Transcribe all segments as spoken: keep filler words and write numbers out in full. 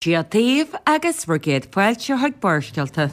Dia daoibh agus bhur gcéad fáilte chuig Barrscéalta.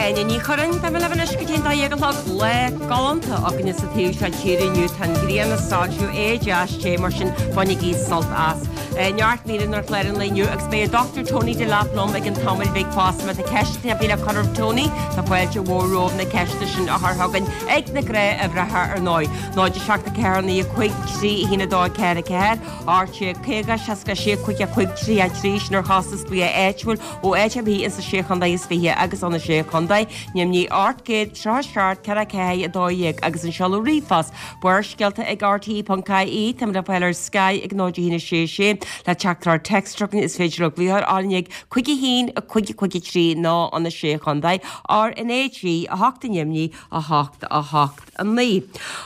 Áine Ní Churráin, Beidh mé libh anois go dtí an dó dhéag a chlog. Lá galánta againne sa taobh seo tíre inniu. Tá an ghrian ag soilsiú, é deas te, mar sin bainigí sult as. Neart míreanna ar chlár an lae inniu agus beidh an Dochtúir Tony Delap liom i gcionn tamaill bhig fosta. Má tá ceist ar bith le cur ar Tony, tá fáilte mhór romhaibh na ceisteanna sin a chur chugainn ag na gnáthuimhreacha ar ndóigh. náid a seacht a ceathair naoi a cúig trí a haon a dó a ceathair a ceathair, ocht déag caoga seasca sé cúig a cúig trí a trí, sin ar chostas glaoch áitiúil ó áit ar bith ins na Sé Chontae is Fiche agus ó na Sé Chontae, Ainmnigh ocht gcéad tríocha seacht ceithre ceathair a dó dhéag agus an seoladh ríomhphost, Barrscéalta ag R T E ponc I E. Táimid le fáil ar Sky ag náid a haon a sé sé le teachtaireacht téacs chugainn is féidir libh glaoch ar árainn ag cúig a haon a cúig a cúig a trí nó an a sé Chontae R N A G a hocht ainmnigh a hocht a hocht a naoi.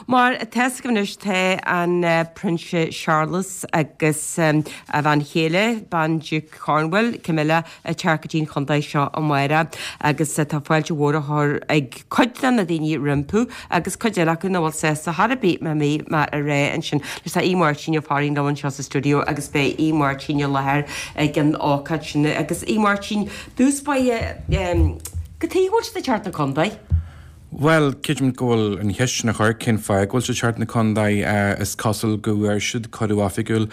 Mar atá a fhios agaibh anois tá an Prionsa Séarlas agus a bhean chéile, Bandiúc Cornwall, Camilla, ag teacht go dtí an chontae seo amárach agus tá fáilte mhór á chur ag cuid de na daoine rompu agus cuid eile acu nach bhfuil sásta chor ar bith má bhí mé a rá ansin. Anois tá Aodh Máirtín Ó Fearraigh liom anseo sa stiúideo agus beidh Aodh Máirtín i láthair ag an ócáid sin agus Aodh Máirtín, dtús báire, cad chuige a bhfuil siad ag teacht 'na contae? Bhuel, creidim go bhfuil an cheist sin a chur, cén fáth go bhfuil siad ag teacht 'na contae? Is cosúil go bhfuair siad cuireadh oifigiúil.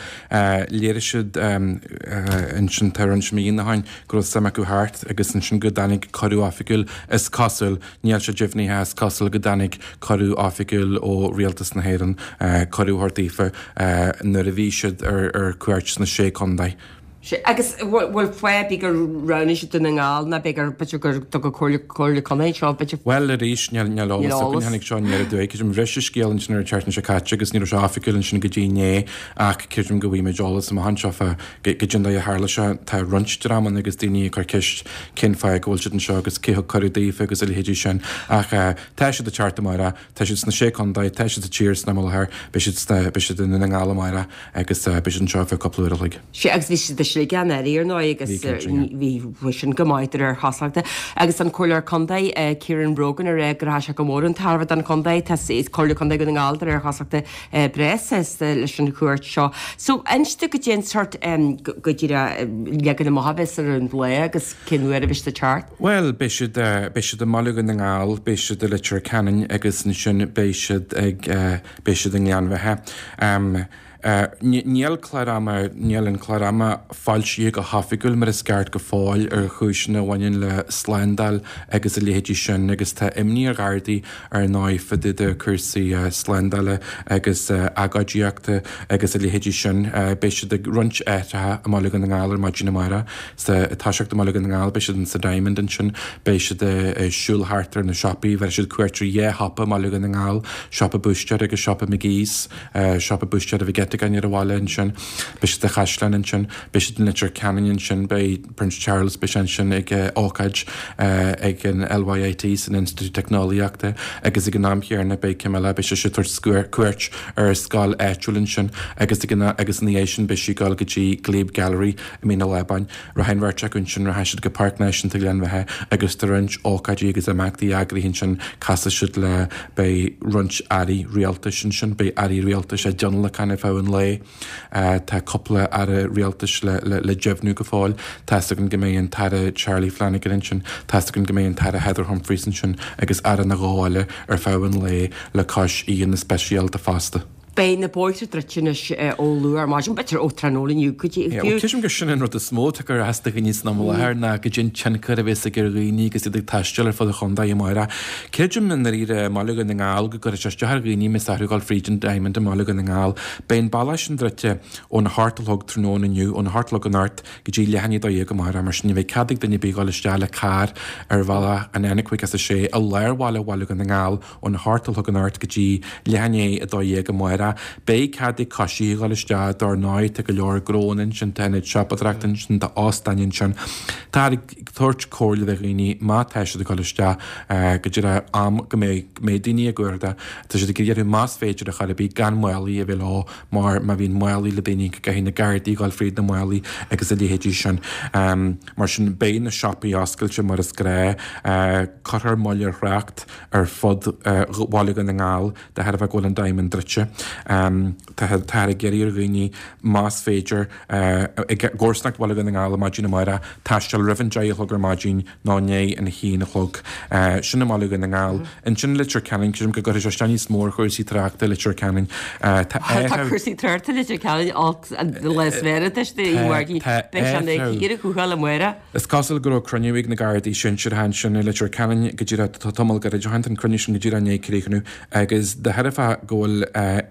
Léirigh siad ansin tá roinnt míonna ó shin go raibh suim acu theacht agus ansin go dtáinig cuireadh oifigiúil. Is cosúil, níl sé deimhnithe, is cosúil go dtáinig cuireadh oifigiúil ó Rialtas na hÉireann, cuireadh a thabhairt daofa nuair a bhí siad ar cuairt sna Sé Contae. Sea, agus bhfuil fáth ar bith gur roghnaigh siad Dún na nGall ná b'fhéidir b'fhéidir gur dtug an Comhairle Comhairle Contae anseo b'fhéidir. Bhuel arís, níl níl eolas againn, tháinig seo aniar aduaidh, creidim bhris an scéal ansin ar an tseachtain seo caite agus ní raibh sé oifigiúil ansin go dtí inné ach creidim go bhfaighimid eolas amach anseo fá goidé an dóigh a tharla sé. Tá roinnt dreamanna agus daoine ag cur ceist cén fáth go bhfuil siad anseo agus cé thug cuireadh daofa agus a leithéidí sin ach tá siad ag teacht amárach, tá siad sna Sé Contae, tá siad sa tír san am i láthair, beidh siad sna, beidh siad i nDún na nGall amárach agus beidh siad anseo ar feadh cúpla uair a chloig. Sea, agus bhí siad i Sligeach anuraidh, ar ndóigh, agus bhí bhí sin go maith de réir chosúlachta. Agus an Comhairleoir Contae, Kieran Brogan, ag rá go rachaidh sé go mór chun tairbhe don chontae. Tá Comhairle Contae Dhún na nGall, de réir chosúlachta, breá sásta leis an chuairt seo. So, inis dom goidé an sórt, go díreach leagan amach a bheas ar an lá agus cén uair a bheas siad ag teacht? Bhuel, beidh siad, beidh siad i mBaile Dhún na nGall, beidh siad i Leitir Ceanainn agus ansin beidh siad ag, beidh siad i nGleann Bheatha. Níl clár ama, níl an clár ama foilsithe go hoifigiúil mar is ceart go fóill ar chúiseanna a bhaineann le slándáil agus a leithéidí sin agus tá imní ar Ghardaí ar ndóigh fá dtaobh de cúrsaí slándála agus agóidíochta agus a leithéidí sin. Beidh siad ag roinnt áiteacha i mBaile Dhún na nGall ar maidin amárach. Sa toiseacht i mBaile Dhún na nGall beidh siad in sa Diamond ansin, beidh siad ag siúl thart ar na siopaí, bheir siad cuairt ar dhá shiopa i mBaile Dhún na nGall, siopa búistéara agus siopa McGee's. Siopa búistéara Mhig Eiteagáin ar an bhaile ansin. Beidh siad sa Chaisleán ansin. Beidh siad in Leitir Ceanainn ansin. Beidh Prince Charles, beidh sé ansin ag ócáid ag an L Y I T san Institiúid Teicneolaíochta agus ag an am chéanna beidh Camilla, beidh sise ag tabhairt cuairt ar scoil áitiúil ansin agus ag an agus ina dhiaidh sin beidh sí ag dul go dtí Glebe Gallery i Mín an Lábáin. Rachaidh an bheirt acu ansin, rachaidh siad go Páirc Náisiúnta Ghleann Bheatha agus tá roinnt ócáidí agus imeachtaí eagraithe ansin, casfaidh siad le, beidh roinnt airí rialtais ansin, beidh airí rialtais á dtionlacan ar feadh an lae, tá cúpla aire rialtais le, le, le deimhniú go fóill, tá's againn go mbeidh an tAire Charlie Flanagan ansin, tá's againn go mbeidh an tAire Heather Humphreys ansin agus aire nó dhó eile ar feadh an lae le cois aíonna speisialta fosta. Beidh na bóithre druidte anois ó luath ar maidin, b'fhéidir ó tráthnóna inniu go dtí fiú. Creidim gur sin an rud is mó atá ag cur as do dhaoine san am i láthair ná goidé an tionchar a bheas ag ar dhaoine agus iad ag taisteal ar fud an chontae amárach. Creidim i ndáiríre i mBaile Dhún na nGall go gcuirfidh sé isteach ar dhaoine más orthu dul fríd an Diamond i mBaile Dhún na nGall. Beidh an bealach sin druidte óna hocht a chlog tráthnóna inniu, óna hocht a chlog anocht go dtí leath i ndiaidh a dó dhéag amárach, mar sin ní bheidh cead ag duine ar bith dul isteach le carr ar bhealach an N caoga is a sé i lár bhaile Bhaile Dhún na nGall óna hocht a chlog anocht go dtí leath i ndiaidh a dó dhéag amárach. amárach. Beidh cead ag coisithe a dhul isteach, dar ndóigh, tá go leor gnónna ansin, tá ionaid siopadóireachta ansin, tá óstáin ansin. Táthar ag tabhairt comhairle do dhaoine má tá siad ag dul isteach go díreach am go mbeidh go mbeidh daoine á gcuardach, tá siad ag iarraidh orthu más féidir ar chor ar bith gan málaí a bheith leo mar má bhíonn málaí le daoine go gcaithfidh na Gardaí a dhul fríd na málaí agus a leithéidí sin. Mar sin beidh na siopaí oscailte mar is gnáth. Cuirfear moill ar thrácht ar fud Bhaile Dhún na nGall de thairbhe go bhfuil an Diamond druidte. Táthar ag iarraidh ar dhaoine más féidir i gcomharsanacht Bhaile Dhún na nGall ar maidin amárach taisteal roimh an deich a chlog ar maidin nó i ndiaidh an haon a chlog. Sin i mBaile Dhún na nGall. Ansin i Leitir Ceanainn, creidim go gcuirfidh sé isteach níos mó ar chúrsaí tráchta i Leitir Ceanainn. Tá Tá cúrsaí tráchta i Leitir Ceanainn olc an lá is fearr anois do Mhargaí. Beidh sé ina chíor chucu amárach. Is cosúil go raibh cruinniú ag na Gardaí sinsearacha ansin i Leitir Ceanainn go díreach tamall gairid ó shin. Tá an cruinniú sin go díreach i ndiaidh críochnú agus de thairbhe go bhfuil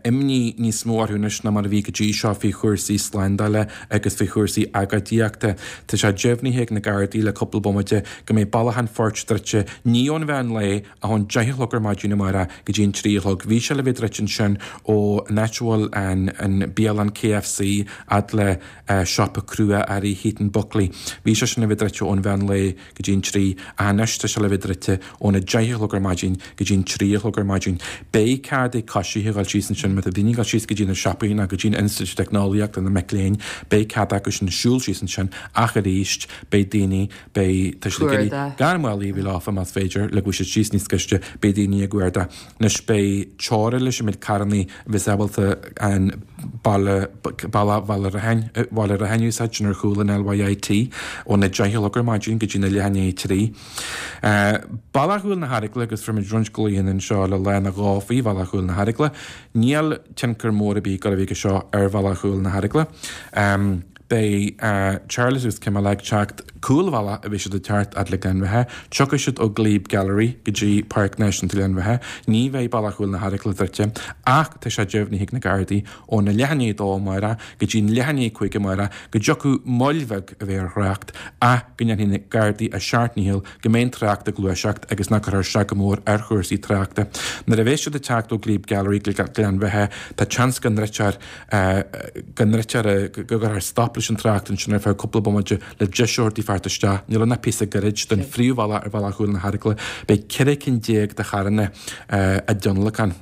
imní níos mó orthu anois ná mar a bhí go dtí seo faoi chúrsaí slándála agus faoi chúrsaí agóidíochta. Tá sé deimhnithe ag na Gardaí le cúpla bomaite go mbeidh Bealach an Phoirt druidte ní ón mheán lae ach ón deich a chlog ar maidin amárach go dtí an trí a chlog. Bhí sé le bheith druidte ansin ó an áit a bhfuil an an bialann KFC fhad le siopa crua-earraí Heaton Buckley. Bhí sé sin le bheith druidte ón mheán lae go dtí an trí ach anois tá sé le bheith druidte óna deich a chlog ar maidin go dtí an trí a chlog ar maidin. Beidh cead ag coisithe a dhul síos ansin má tá daoine ag dul síos go dtí na siopaí nó go dtí an Institiúid Teicneolaíochta na mic léinn, beidh cead acu sin siúl síos ansin ach arís beidh daoine, beidh, tá siad ag iarraidh gan málaí a bheith leofa más féidir le go bhfuil siad síos níos gaiste, beidh daoine á gcuardach. Anois beidh teora leis an méid carrannaí a bheas ábalta an baile, bealach Bhaile Rathain, Bhaile Rathain a úsáid, sin ar chúl an LYIT, óna deich a chlog ar maidin go dtí na leath i ndiaidh a trí. Bealach Chúil na hEaragla agus fuair muid roinnt glaonna anseo le lá nó dhó faoi Bhealach Chúil na hEaragla. Níl tionchar mór ar bith ag dul a bheith aige seo ar Bhealach Chúil na hEaragla. Beidh Charles agus Camilla ag teacht cúlbhealach a bheidh siad ag teacht fhad le Gleann Bheatha. Tiocfaidh siad ó Glebe Gallery go dtí Páirc Náisiúnta Ghleann Bheatha. Ní bheidh Bealach Chúil na hEaragla druidte ach tá sé deimhnithe ag na Gardaí óna leath i ndiaidh a dó amárach go dtí leath i ndiaidh a cúig amárach go dtiocfadh moill bheag a bheith ar thrácht ach go ndéanfaidh na Gardaí a seacht ndícheall go mbeidh an trácht ag gluaiseacht agus nach gcuirfear isteach go mór ar chúrsaí tráchta. Nuair a bheidh siad ag teacht ó Glebe Gallery go Gleann Bheatha tá seans go ndruidfear go ndruidfear go gcuirfear stop leis an trácht ansin ar feadh cúpla bomaite le deis a thabhairt daofa theacht isteach. Níl ann ach píosa gairid den phríomhbhealach ar Bhealach Chúil na hEaragla. Beidh ceithre cinn déag de charranna á dtionlacan.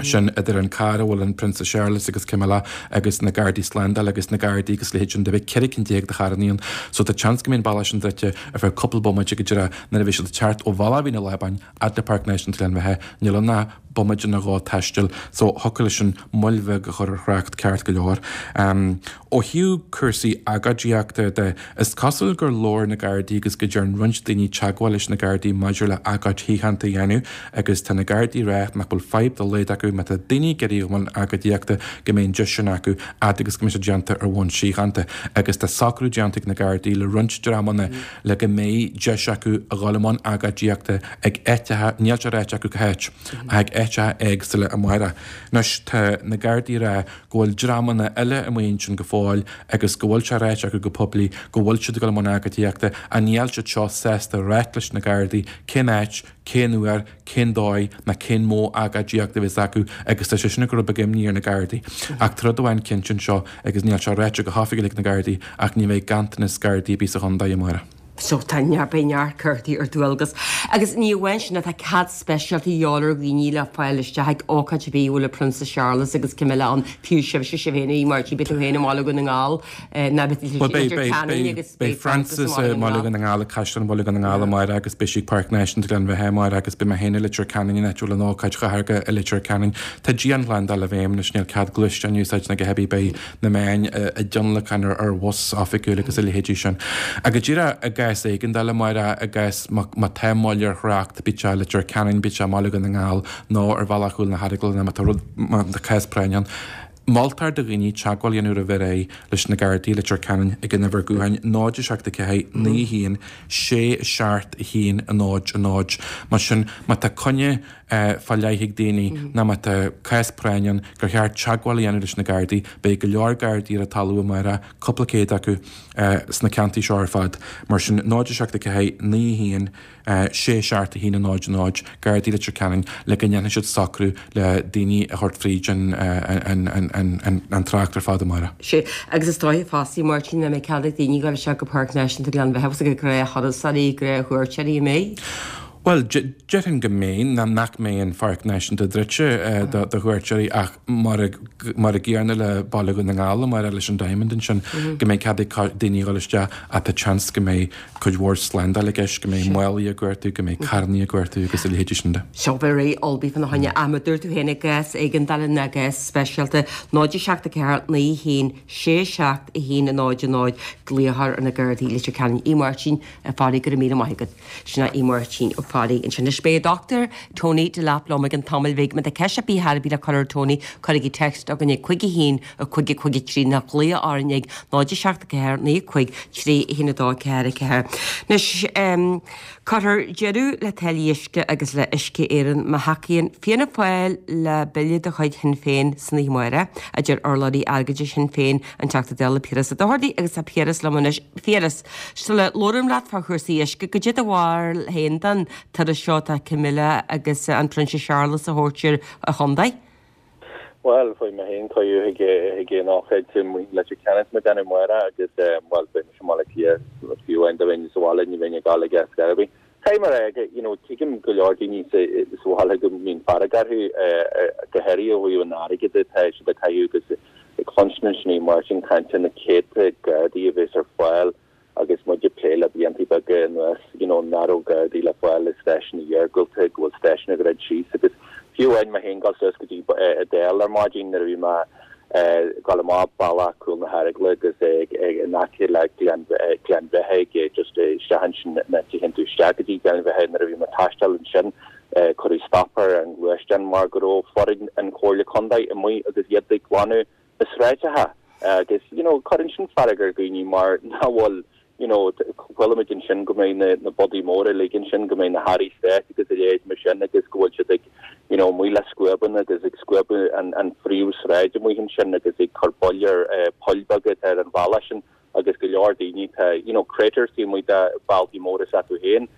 Sin idir an carr a bhfuil an Prionsa Séarlas agus Camilla agus na Gardaí Slándála agus na Gardaí agus a leithéid sin de. Beidh ceithre cinn déag de charranna ann. So tá seans go mbeidh an bealach sin druidte ar feadh cúpla bomaite go díreach nuair a bheidh siad ag teacht ó Bhealach Mhín an Lábáin fhad le Páirc Náisiúnta Ghleann Bheatha. Níl ann ach bomaite nó dhó taistil so thiocfadh leis sin moill bheag a chur ar thrácht ceart go leor. Ó thaobh cúrsaí agóidíochta de, is cosúil gur labhair na Gardaí agus go dtearn roinnt daoine teagmháil leis na Gardaí maidir le agóid shíochánta a dhéanamh agus tá na Gardaí ag rá nach bhfuil fadhb dá laghad acu má tá daoine ag iarraidh dul i mbun agóidíochta go mbeidh an deis sin acu fhad agus go mbeidh sé déanta ar bhonn síochánta agus tá socrú déanta ag na Gardaí le roinnt dreamanna le go mbeidh deis acu a dhul i mbun agóidíochta ag áiteacha, níl sé ráite acu cá háit, ach ag áiteacha éagsúla amárach. Anois tá na Gardaí ag rá go bhfuil dreamanna eile amuigh ansin go fóill agus go bhfuil sé ráite acu go poiblí go bhfuil siad ag dul i mbun agóidíochta ach níl siad seo sásta ráit leis na Gardaí cén áit, cén uair, cén dóigh ná cén modh agóidíochta a bheas acu agus tá sé sin ag cur rud beag imní ar na Gardaí. Ach tá rud amháin cinnte anseo agus níl sé ráite go hoifigiúil ag na Gardaí ach ní bheidh ganntanas Gardaí ar bith sa chontae amárach. So tá neart, beidh neart Gardaí ar dualgas. Agus ní amháin sin, tá cead speisialta de dhíobháil ar dhaoine le fáil isteach ag ócáid ar bith a bhfuil an Prionsa Séarlas agus Camilla ann, fiú sibhse, sibh féin, a Mháirtín, beidh tú féin i mBaile Dhún na nGall, ná beidh Bhuel, beidh, Leitir beidh, Ceanainn beidh, agus beidh beidh Frances i Frances mBaile i Dhún na mBaile nGall. Dhún na nGall, ag Caisleán Bhaile Dhún na nGall amárach agus beidh sí ag Páirc Náisiúnta Ghleann Bheatha amárach agus beidh mé féin i Leitir Ceanainn an áit a bhfuil an ócáid chathartha i Leitir Ceanainn. Tá dianshlándáil i bhfeidhm anois, níl cead gluaisteáin a úsáid ná a dhath ar bith, beidh na meáin á dtionlacan ar ar bhus oifigiúil agus a leithéidí sin. Ach go díreach i gcás éigeandála amárach, i gcás má má tá moill ar thrácht, bíodh sé i Leitir Ceanainn, bíodh sé i mBaile Dhún na nGall nó ar Bhealach Chúil na hEaragla nó má tá rud, má tá cás práinne ann, Moltar do dhaoine teagmháil a dhéanamh roimh ré leis na Gardaí i Leitir Ceanainn ag an uimhir gutháin náid a seacht a ceathair naoi haon sé seacht a haon a náid a náid. Mar sin má tá coinne fá leith ag daoine nó má tá cás práinne ann gur cheart teagmháil a dhéanamh leis na Gardaí, beidh go leor Gardaí ar an talamh amárach, cúpla céad acu sna ceantair seo ar fad. Mar sin náid a seacht a ceathair naoi haon sé seacht a haon a náid a náid, Gardaí Leitir Ceanainn, le go ndéanfaidh siad socrú le daoine a thabhairt fríd an an trácht ar fad amárach. Sea, agus is dóiche fosta, Máirtín, nach mbeidh cead ag daoine dul isteach go Páirc Náisiúnta Ghleann Bheatha agus ag gnáth-thurasóirí, gnáth-chuairteoirí, an mbeidh? Bhuel, déarfainn go mbeidh, ná nach mbeidh an Pháirc Náisiúnta druidte do chuairteoirí ach mar mar a gcéanna le Baile Dhún na nGall amárach leis an Diamond ansin, go mbeidh cead ag daoine dhul isteach ach tá seans go mbeidh cuid mhór slándáil i gceist, go mbeidh málaí á gcuartú, go mbeidh carrannaí á gcuartú agus a leithéidí sin de. Seo beifear ullmhaithe fána choinne. Ach mar a dúirt tú féin i gcás éigeandála nó i gcás speisialta, náid a seacht a ceathair naoi haon sé seacht a haon a náid a náid, glaoch ar na Gardaí Leitir Ceanainn. A Mháirtín Uí Fhearraigh, go raibh míle maith agat. Sin é Máirtín Ó Fearraigh ansin. Anois beidh Dochtúir Tony Delap liom i gcionn tamaill bhig. Má tá ceist ar bith ar bith le cur ar Tony, cuirigí text chugainn ag cúig a haon, a cúig a cúig a trí nó glaoigh orainn ag náid a seacht a ceathair naoi a cúig trí a haon a dó ceathair a ceathair. Anois cuirfear deireadh le táillí uisce agus le Uisce Éireann má thacaíonn Fianna Fáil le bille de chuid Shinn Féin san oíche amárach, a deir urlabhraí airgeadais Shinn Féin, an Teachta Dála Piaras Ó Dochartaigh agus tá Piaras liom anois. Piaras, sula labhraím leat fá chúrsaí uisce, goidé do bharúil féin den turas seo atá Camilla agus an Prionsa Séarlas a thabhairt ar an chontae? Bhuel, beidh mé féin chuig chuig an ócáid i Leitir Ceanainn tá mé ag déanamh amárach agus bhuel beidh mise i mBaile Átha Cliath fiú amháin dá mbeinn sa bhaile ní bheinn ag dul aige ar scor ar bith. Caithfidh mé a rá you know tuigim go leor daoine sa sa bhaile go mbíonn fearg orthu go háirithe ó thaobh an airgid atá siad ag caitheamh agus ag cluinstin ansin í Máirtín caint ar na céadta Gardaí a bheas ar fáil agus muid ag plé le blianta beaga anuas you know nach raibh Gardaí le fáil i stáisiúin iargúlta, go bhfuil stáisiúin ag druid síos agus fiú amháin mé féin dul suas go dtí Edel ar maidin nuair a bhí mé ag dul amach bealach Cúl na hEaragla agus ag in aice le Gleann Gleann Bheatha ag just isteach ansin na téann tú isteach go dtí Gleann Bheatha nuair a bhí mé ag taisteal ansin cuireadh stop ar an ngluaisteán mar go raibh foireann an Chomhairle Contae amuigh agus iad ag glanadh na sráideacha agus you know cuireann sin fearg ar dhaoine mar nach bhfuil you know chuala muid ansin go mbeidh na na bodaí móra uilig ansin go mbeidh na hairí stáit agus a leithéid mar sin agus go bhfuil siad ag you know amuigh le scuabanna agus ag scuabadh an an phríomhshráid amuigh ansin agus ag cur buille ar eh, poill beaga atá ar an bhealach sin agus go leor daoine tá you know craters taobh amuigh de bhealtaí móra s'acu féin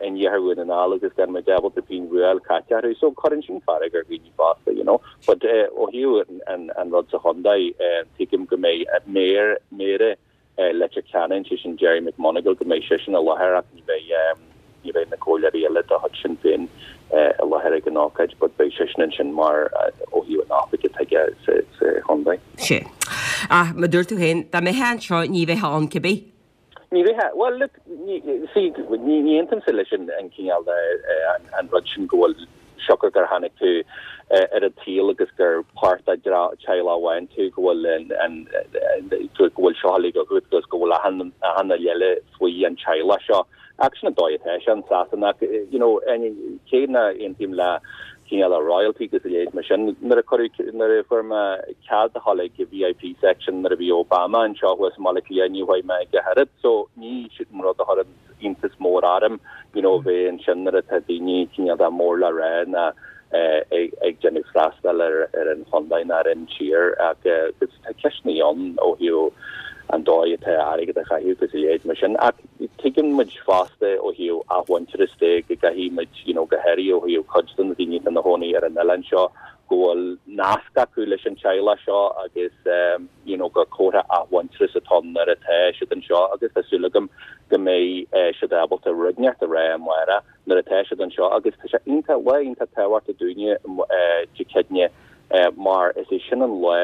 in iarthar Dhún na nGall agus gan muid ábalta pingin a fháil caite orthu. So cuireann sin fearg ar dhaoine fosta, you know. But ó thaobh an an rud sa chontae, tuigim go mbeidh méara méara Leitir Ceanainn, sé sin Gerry McMonagall, go mbeidh seisean i láthair ach ní bheidh ní bheidh na comhairleoirí eile de chuid Sinn Féin i láthair ag an ócáid, but beidh seisean ansin mar ó thaobh an oifig atá aige sa sa chontae. Sea. Ach mar a dúirt tú féin, dá mbeifeá anseo ní bheifeá ann cibé. Ní bheifeá, bhuel, look, ní, see, ní, ní aontaímse leis an, an cineál de, an, an rud sin go bhfuil siocair gur tháinig tú ar an tsaol agus gur páirt de teaghlach amháin tú, go bhfuil an, an, go bhfuil seo uilig agat agus go bhfuil achan, achan rud eile faoi an teaghlach seo. Ach sin an dóigh atá sé in Sasana ach, you know, cé nach aontaím le cineál de royalty agus a leithéid mar sin. Nuair a cuireadh, nuair a fuair mé cead a dhul ag V I P section nuair a bhí Obama anseo thuas i mBaile Átha Cliath ní bhfuair mé ag a oiread so ní sin rud a chuireann iontas mór orm you know bheith ansin nuair atá daoine cineál de mór le rá ná ag ag déanamh freastal ar ar an chontae ná ar an tír ach agus tá ceisteanna ann ó thaobh an dóigh atá airgead a chaitheamh agus a leithéid mar sin. Ach tuigeann muid fosta ó thaobh athmhuintearas de go gcaithfidh muid you know go háirithe ó thaobh cuid de na daoine atá ina gcónaí ar an oileán seo go bhfuil nasc acu leis an teaghlach seo agus um, you know gur comhartha athmhuintearas atá nuair atá siad anseo agus tá súil agam go mbeidh eh, siad ábalta rud inteacht a rá amárach nuair atá siad anseo agus tá sé iontach lá iontach tábhachtach dúinne eh, Dé Céadaoine eh, mar is é sin an lá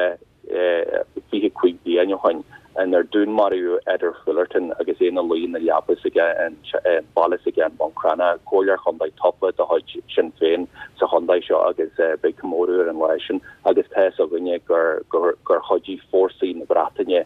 fiche cúig bliain ó shin inar dúnmaraíodh Edward Fullerton agus é ina luí ina leaba s'aige an baile s'aige an Bun Cranncha, comhairleoir chontae tofa de chuid Sinn Féin sa chontae seo agus beidh comóradh ar an lá sin agus tá fhios againne gur gur gur chuidigh fórsaí na Breataine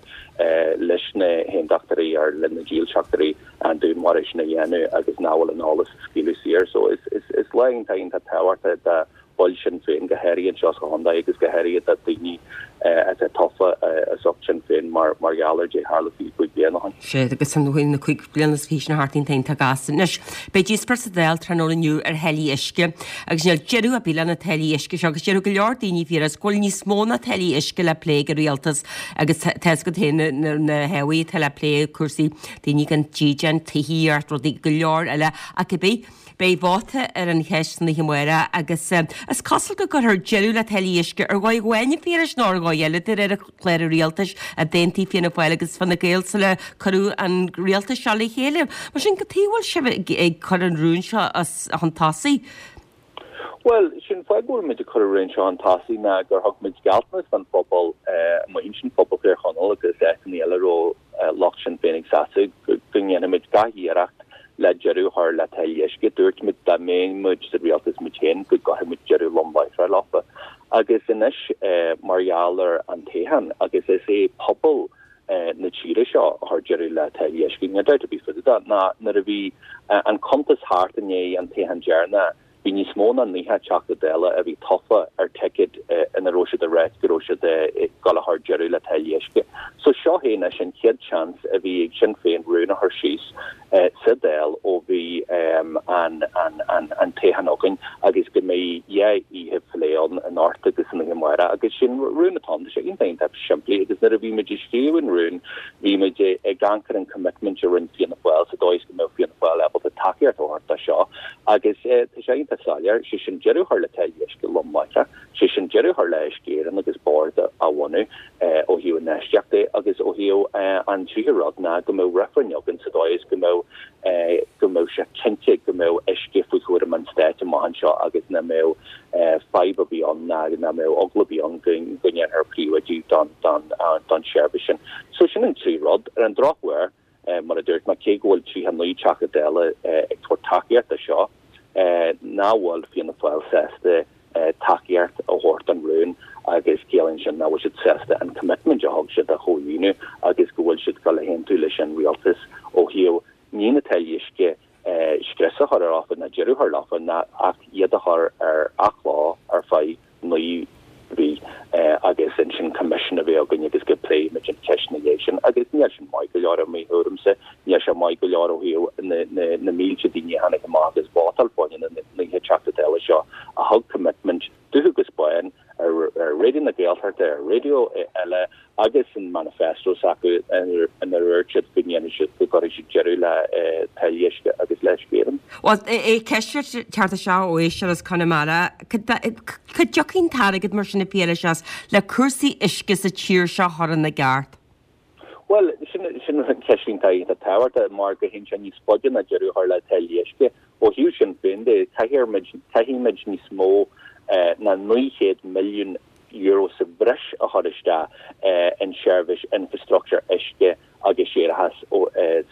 leis na hAontachtóirí ar le na dílseachtóirí an dúnmharú sin a dhéanamh agus nach bhfuil an eolas a scaoileadh saor. So is is is lá iontach iontach tábhachtach do baill Sinn Féin go háirithe anseo sa chontae agus go háirithe do daoine atá tofa as ucht Sinn Féin mar mar gheall ar dé tharla fiche cúig bliain ó shin. Sea, agus an bhfuil na cúig bliana is fiche sin thart iontach gasta. Anois, beidh díospóireacht sa Dáil tráthnóna inniu ar tháillí uisce agus níl deireadh ar bith le na táillí uisce seo agus déarfadh go leor daoine Phiarais go bhfuil níos mó ná táillí uisce le plé ag an rialtas agus tá a fhios agat féin na hábhair atá le plé, cúrsaí daoine gan dídean, tithíocht, rudaí go leor eile ach cibé. Beidh vóta ar an cheist san oíche amárach agus is cosúil go gcuirfear deireadh le táillí uisce ar dhóigh amháin a Phiarais nó ar dhóigh eile de réir chlár an rialtais a d'aontaigh Fianna Fáil agus Fine Gael sula cuireadh an rialtas seo le chéile. Mar sin, cad chuige a bhfuil sibh ag cur an rún seo chun tosaigh? Bhuel, sin fáth go bhfuil muid ag cur an rún seo chun tosaigh ná gur thug muid gealltanas don phobal amuigh ansin, pobal Thír Chonaill agus áiteanna eile a raibh lucht Sinn Féin ag seasamh, go ndéanfaidh muid gach iarracht le deireadh a chur le táillí uisce. Dúirt muid dá mbeadh muid sa rialtas muid féin go gcuirfeadh muid deireadh lom láithreach leofa. Agus anois mar gheall ar an toghchán, agus is é pobal na tíre seo a chuir deireadh le táillí uisce, níl dabht ar bith fá dtaobh de, ná nuair a bhí an cuntas thart i ndiaidh an toghcháin deireanach, Bhí níos mó ná naocha Teachta Dála a bhí tofa ar ticket ina raibh siad ag ráit go raibh siad ag dul a chur deireadh le táillí uisce. So seo é anois an chéad seans a bhí ag Sinn Féin rún a chur síos sa Dáil ó bhí an an toghchán againn agus go mbeidh dhá oíche phlé ann anocht agus san oíche amárach agus sin rún atá ann. Tá sé iontach iontach simplí agus nuair a bhí muid ag scríobh an rún bhí muid ag amharc ar an commitment a rinne Fianna Fáil sa dóigh is go mbeadh Fianna Fáil ábalta tacaíocht a thabhairt do seo agus tá sé iontach soiléir, sé sin deireadh a chur le táillí uisce lom láithreach, sé sin deireadh a chur le Uisce Éireann agus bord a bhunú ó thaobh infheistíocht de agus ó thaobh an tríú rud ná go mbeadh reifreann againn sa dóigh is go mbeadh go mbeadh sé cinnte go mbeadh uisce faoi chúram an stáit amach anseo agus nach mbeadh fadhb ar bith ann ná nach mbeadh eagla ar bith ann go ndéanfar príobháidiú don don don tseirbhís sin. So sin an trí rud. Ar an drochuair, Mar a dúirt mé, cé go bhfuil tríocha naoi Teachta Dála ag tabhairt tacaíocht do seo, nach bhfuil Fianna Fáil sásta tacaíocht a thabhairt don rún agus ciallaíonn sin nach bhfuil siad sásta an commitment a thug siad a chomhlíonadh agus go bhfuil siad ag dul a aontú leis an rialtas ó thaobh ní na táillí uisce scrios a chur orthu ná deireadh a chur leofa ná ach iad a chur ar athló ar feadh naoi mhí agus ansin coimisiún a bheith againn agus go bpléifimid an cheist ina dhiaidh sin agus níl sin maith go leor i mo thuairimse, níl sé maith go leor ó thaobh na mílte daoine a tháinig amach agus vótáil fá choinne na naocha Teachta Dála seo a thug commitment dubh agus bán ar Raidió na Gaeltachta, ar raidió eile agus an manifesto s'acu inar dhúirt siad go ndéanfaidh siad, go gcuirfidh siad deireadh le táillí uisce agus le hUisce Éireann. Bhuel, ceist ag teacht isteach ó éisteoir as Conamara, cá dtiocfaidh an t-airgead mar sin a Phiarais as le cúrsaí uisce sa tír seo a chur ina gceart? Bhuel, sin sin ceist iontach iontach tábhachtach mar go théann sé níos faide ná deireadh a chur le táillí uisce. Ó thaobh Sinn Féin de, caithfidh muid níos mó ná naoi chéad milliún euro sa bhreis a chur isteach in seirbhís infreastruchtúr uisce agus séarachais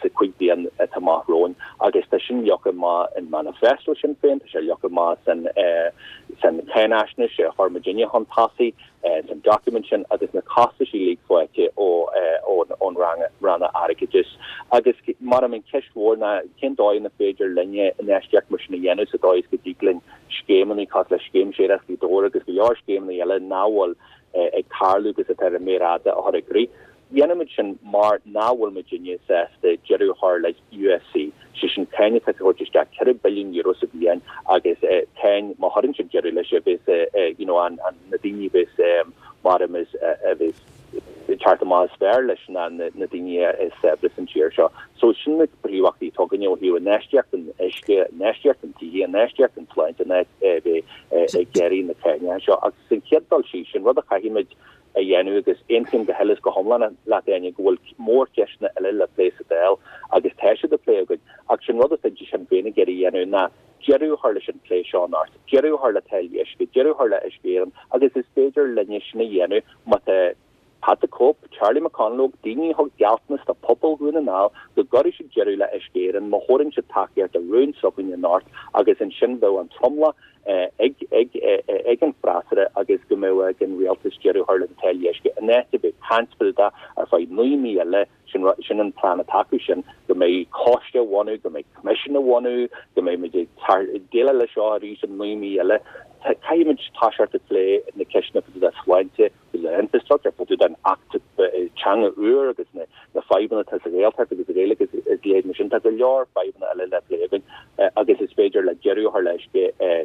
sa chúig bliain atá amach romhainn agus tá sin leagtha amach in manifesto Sinn Féin, tá sé leagtha amach san san cháinaisnéis a chuir muidinne chun tosaigh san document sin agus na costais uilig faighte ó ón Ranna Airgeadais. Agus mar an cheist mhór ná cén dóigh ina féidir linne infheistíocht mar sin a dhéanamh sa dóigh is go dtig linn scéimeanna cosúil le Scéim Séarachais Ghaoth Dobhair agus go leor scéimeanna eile nach bhfuil ag tarlú agus atá ar an méar fhada a chur i gcrích. Dhéanfaimid sin mar nach bhfuil muidinne sásta deireadh a chur le U S C, sé sin cáin atá ag tabhairt isteach ceithre billiún euro sa bhliain agus cáin má chuireann siad deireadh leis a bheas you know an na daoine a bheas mar a bheas ag teacht amach is fearr leis ná na daoine is saibhre san tír seo. So sin na príomhachtaí atá againne ó thaobh infheistíocht in uisce, infheistíocht in tithe, infheistíocht in sláinte in áit a bheith ag iarraidh na cánacha seo. Agus san chéad dul síos, sin rud a chaithfimid a dhéanamh agus aontaím go huile is go hiomlán leat Áine go bhfuil mórcheisteanna eile le plé sa Dáil agus tá siad á plé againn ach sin rud atá Sinn Féin ag iarraidh a dhéanamh ná deireadh a chur leis an plé seo anocht, deireadh a chur le táillí uisce, deireadh a chur le Uisce Éireann agus is féidir linne sin a dhéanamh má tá Pat the Cope, Charlie McConalogue, daoine a thug gealltanas do phobal Dhún na nGall go gcuirfidh siad deireadh le Uisce Éireann má thabharann siad tacaíocht do rún s'againne anocht agus ansin bheadh an tromlach ag ag ag an freasúra agus go mbeadh ag an rialtas deireadh a chur le na táillí uisce in áit a bheith ag caint fá dtaobh de ar feadh naoi mí eile sin sin an plean atá acu sin go mbeidh coiste á bhunú go mbeidh coimisiún á bhunú go mbeidh muid ag déileáil leis seo arís in naoi mí eile. Caithfimid toiseacht ag plé na ceisteanna fá dtaobh de sláinte, fá dtaobh den infrastructure, fá dtaobh den Acht Teanga úr agus na na fadhbanna atá sa Ghaeltacht agus sa Ghaeilge is a leithéid mar sin. Tá go leor fadhbanna eile le plé againn agus is féidir le deireadh a chur le uisce,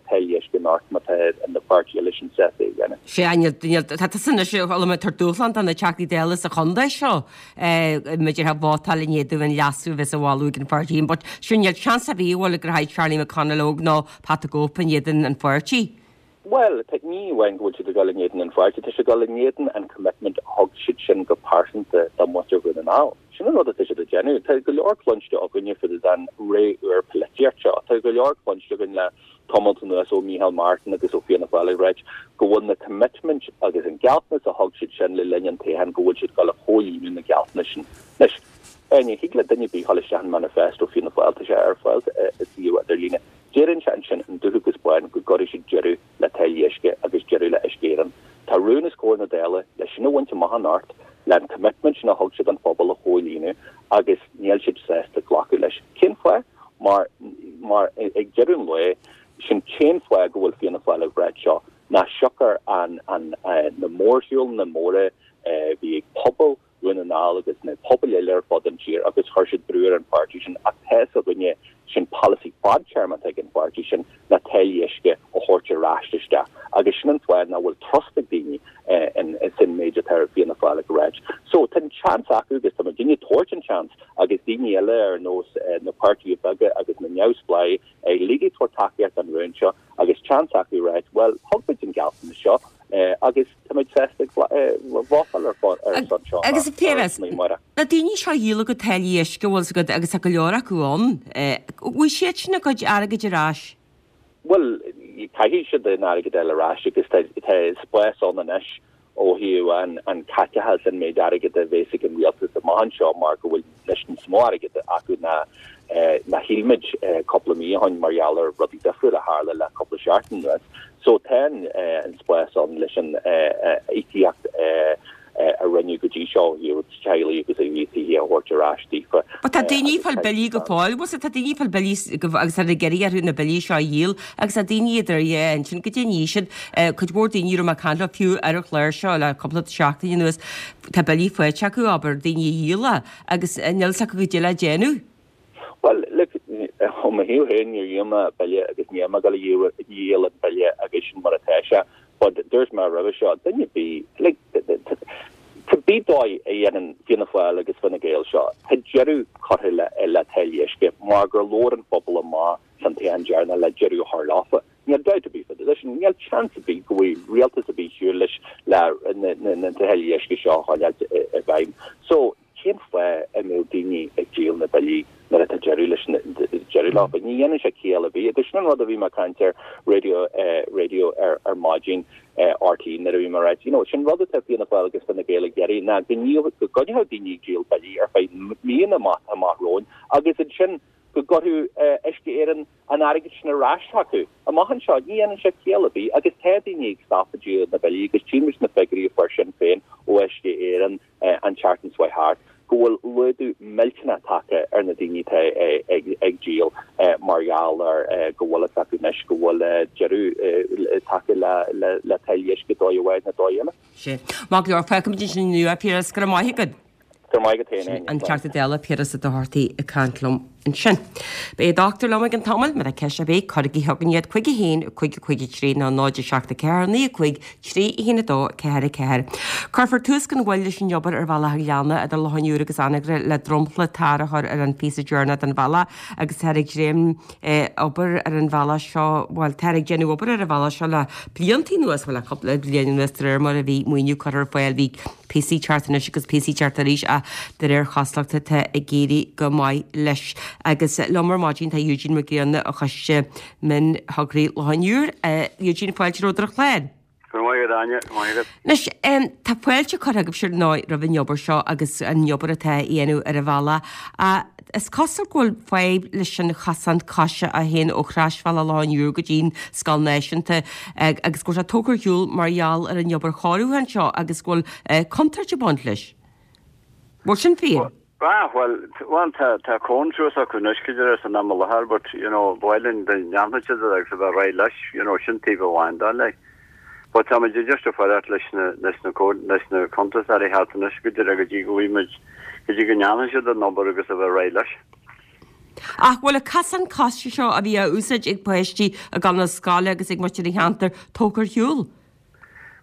táillí uisce anocht má tá na páirtithe eile sin sásta é a dhéanamh. Sea, níl, níl, tá tusa anois ag tabhairt dúshlán do na Teachtaí Dála sa chontae seo, maidir le vótáil in éadan an leasú a bheas á mholadh ag an pháirtí, but sure níl seans ar bith an bhfuil go rachaidh Charlie McConalogue nó Pat the Cope in éadan an pháirtí. Bhuel, ní amháin go bhfuil siad ag dul in éadan an pháirtí, tá siad ag dul in éadan an commitment a thug siad sin go pearsanta do mhuintir Dhún na nGall. Sin an rud atá siad ag déanamh. Tá go leor cluinste againne fá dtaobh den ré úr polaitíocht seo. Tá go leor cluinste againn le tamalt anuas ó Micheál Martin agus ó Fianna Fáil ag ráit go bhfuil na commitment agus an gealltanas a thug siad sin le linn an toghcháin go bhfuil siad ag dul a chomhlíonadh na gealltanais sin. Anois, ní thig le duine ar bith dul isteach in manifesto Fianna Fáil, tá sé ar fáil sa suíomh idirlíne. Deireann sé ansin in dubh agus bán go gcuirfidh siad deireadh le táillí uisce agus deireadh le Uisce Éireann. Tá rún os comhair na Dála le sin a bhaint amach anocht, le an commitment sin a thug siad don phobal a chomhlíonadh agus níl siad sásta glacadh leis. Cén fáth? Mar, mar ag deireadh an lae, sin t-aon fáth go bhfuil Fianna Fáil ag ráit seo ná siocair an, an, na mórshiúlanna móra a bhí ag pobal Dhún na nGall agus na pobail eile ar fud an tír agus chuir siad brú ar an pháirtí sin ach tá fhios againne sin polasaí fadtéarmach ag an pháirtí sin ná táillí uisce a thabhairt ar ais isteach agus sin an fáth nach bhfuil trust ag daoine in san méid atá Fianna Fáil ag ráit. So tá an seans acu agus tá muidinne ag tabhairt an seans agus daoine eile ar nós na páirtithe beaga agus na neamhspleáigh uilig ag tabhairt tacaíocht don rún seo agus seans acu ráit bhuel thug muid an gealltanas seo agus táimid sásta vótáil ar ar son seo. Agus a Phiarais, na daoine seo a dhíol a gcuid táillí uisce, bhfuil 's agat, agus tá go leor acu ann, bhfuil siad sin a gcuid airgid ar ais? Bhuel, caithfidh siad an airgead a fháil ar ais agus tá spás ann anois ó thaobh an an caiteachas an méid airgid a bheas ag an rialtas amach anseo mar go bhfuil anois níos mó airgid acu ná ná shíl muid cúpla mí ó shin mar gheall ar rudaí difriúla a tharla le cúpla seachtain anuas. So tá an spás ann leis an íocaíocht a rinneadh go dtí seo ó thaobh teaghlaigh agus ó thaobh tithe a thabhairt ar ais daofa. But tá daoine ag fáil billí go fóill, bhfuil 's tá daoine ag fáil billí agus tá ag iarraidh orthu na billí seo a dhíol agus tá daoine idir dhá intinn goidé a ní siad, cuid mhór daoine a raibh mé ag caint leo fiú ar an chlár seo le cúpla seachtain anuas, tá billí faighte acu, abair, daoine a dhíol agus níl 's acu goidé le déanamh. Bhuel, look, ó mo thaobh féin, níor dhíol mé bille agus níl mé ag dul a dhíol an bille agus sin mar atá sé. But dúirt mé roimhe seo, duine ar bith, like, cibé dóigh a dhéanann Fianna Fáil agus Fine Gael seo, tá deireadh curtha le, le táillí uisce mar gur labhair an phobal amach san toghchán deireanach le deireadh a chur leofa. Níl dabht ar bith fá dtaobh de sin, níl seans ar bith go bhfuil rialtas ar bith siúl leis le na, na, na táillí uisce seo a choinneáilt i, i bhfeidhm. So, Cén fáth a mbeadh daoine ag díol na billí nuair atá deireadh leis na deireadh leofa? Ní dhéanann sé ciall ar bith agus sin an rud a bhí mé ag caint ar radio radio ar ar maidin RTÉ nuair a bhí mé ag ráit you know sin rud atá Fianna Fáil agus Fine Gael ag iarraidh ná go go gcoinneodh daoine ag díol billí ar feadh míonna amach amach romhainn agus ansin go gcuirfeadh Uisce Éireann an airgead sin ar ais chucu amach anseo. Ní dhéanann sé ciall ar bith agus tá daoine ag stopadh díol na billí agus tchí muid na figiúirí a fuair Sinn Féin ó Uisce Éireann an tseachtain seo thart go bhfuil laghdú millteanach tagtha ar na daoine atá ag díol mar gheall ar go bhfuil fhios acu anois go bhfuil deireadh tagtha le táillí uisce dóigh amháin nó dóigh eile. Sea. Maith go leor, fágfaimid ansin inniu é, Piaras, go raibh maith agat. Go raibh maith agat féin, Áine. An Teachta Dála Piaras Ó Dochartaigh ag caint liom ansin. Beidh an dochtúir liom i gcionn tamaill, má tá ceist ar bith, cuirigí chugainn iad, cúig a haon, cúig a cúig a trí nó náid a seacht a ceathair, naoi a cúig, trí a haon a dó, ceathair a ceathair. Cuirfear tús gan mhoill leis an obair ar Bhealach an Ghleanna idir Loch an Iúir agus Anagaire le dromchla tar a chur ar an phíosa deireanach den bhealach agus táthar ag dréim obair ar an bhealach seo, bhuel, táthar ag déanamh obair ar an bhealach seo le blianta anuas, bhuel, le cúpla bliain anuas de réir mar a bhí maoiniú curtha ar fáil, bhí píosaí ag teacht anois agus píosaí ag teacht arís ach de réir chosúlachta tá ag éirí go maith leis. Agus liom ar maidin tá Eugene Mac Grianna ó Choiste Mion-Thograí Loch an Iúir. Eugene, fáilte romhat ar an chlár. Go raibh maith agat, Áine, go raibh maith agat. Anois, tá fáilte curtha agaibhse ar ndóigh roimh an obair seo agus an obair atá á dhéanamh ar an bhealach. Is cosúil go bhfuil fadhb leis an chosán coise a théann ó Chroisbhealach Loch an Iúir go dtí'n Scoil Náisiúnta agus go bhfuil sé tógtha ar shiúl mar gheall ar an obair chóiriúcháin seo agus go bhfuil contúirt ag baint leis. Bhfuil sin fíor? Ah, well, well tá tá cón suas acu anois go dtí san am i láthair, but you know, bhuel den ndéanfaidh siad agus a bheith réidh leis, you know, sin taobh amháin de like. But tá muid just ag faire leis na leis na leis na cuntasóirí thart anois go dtí go dtí go bhfuil go dtí go ndéanfaidh siad an obair agus a bheith réidh leis. Ach bhfuil an cosán coise seo a bhí á úsáid ag páistí ag dul na scoile agus ag muintir an cheantair tógtha ar shiúl?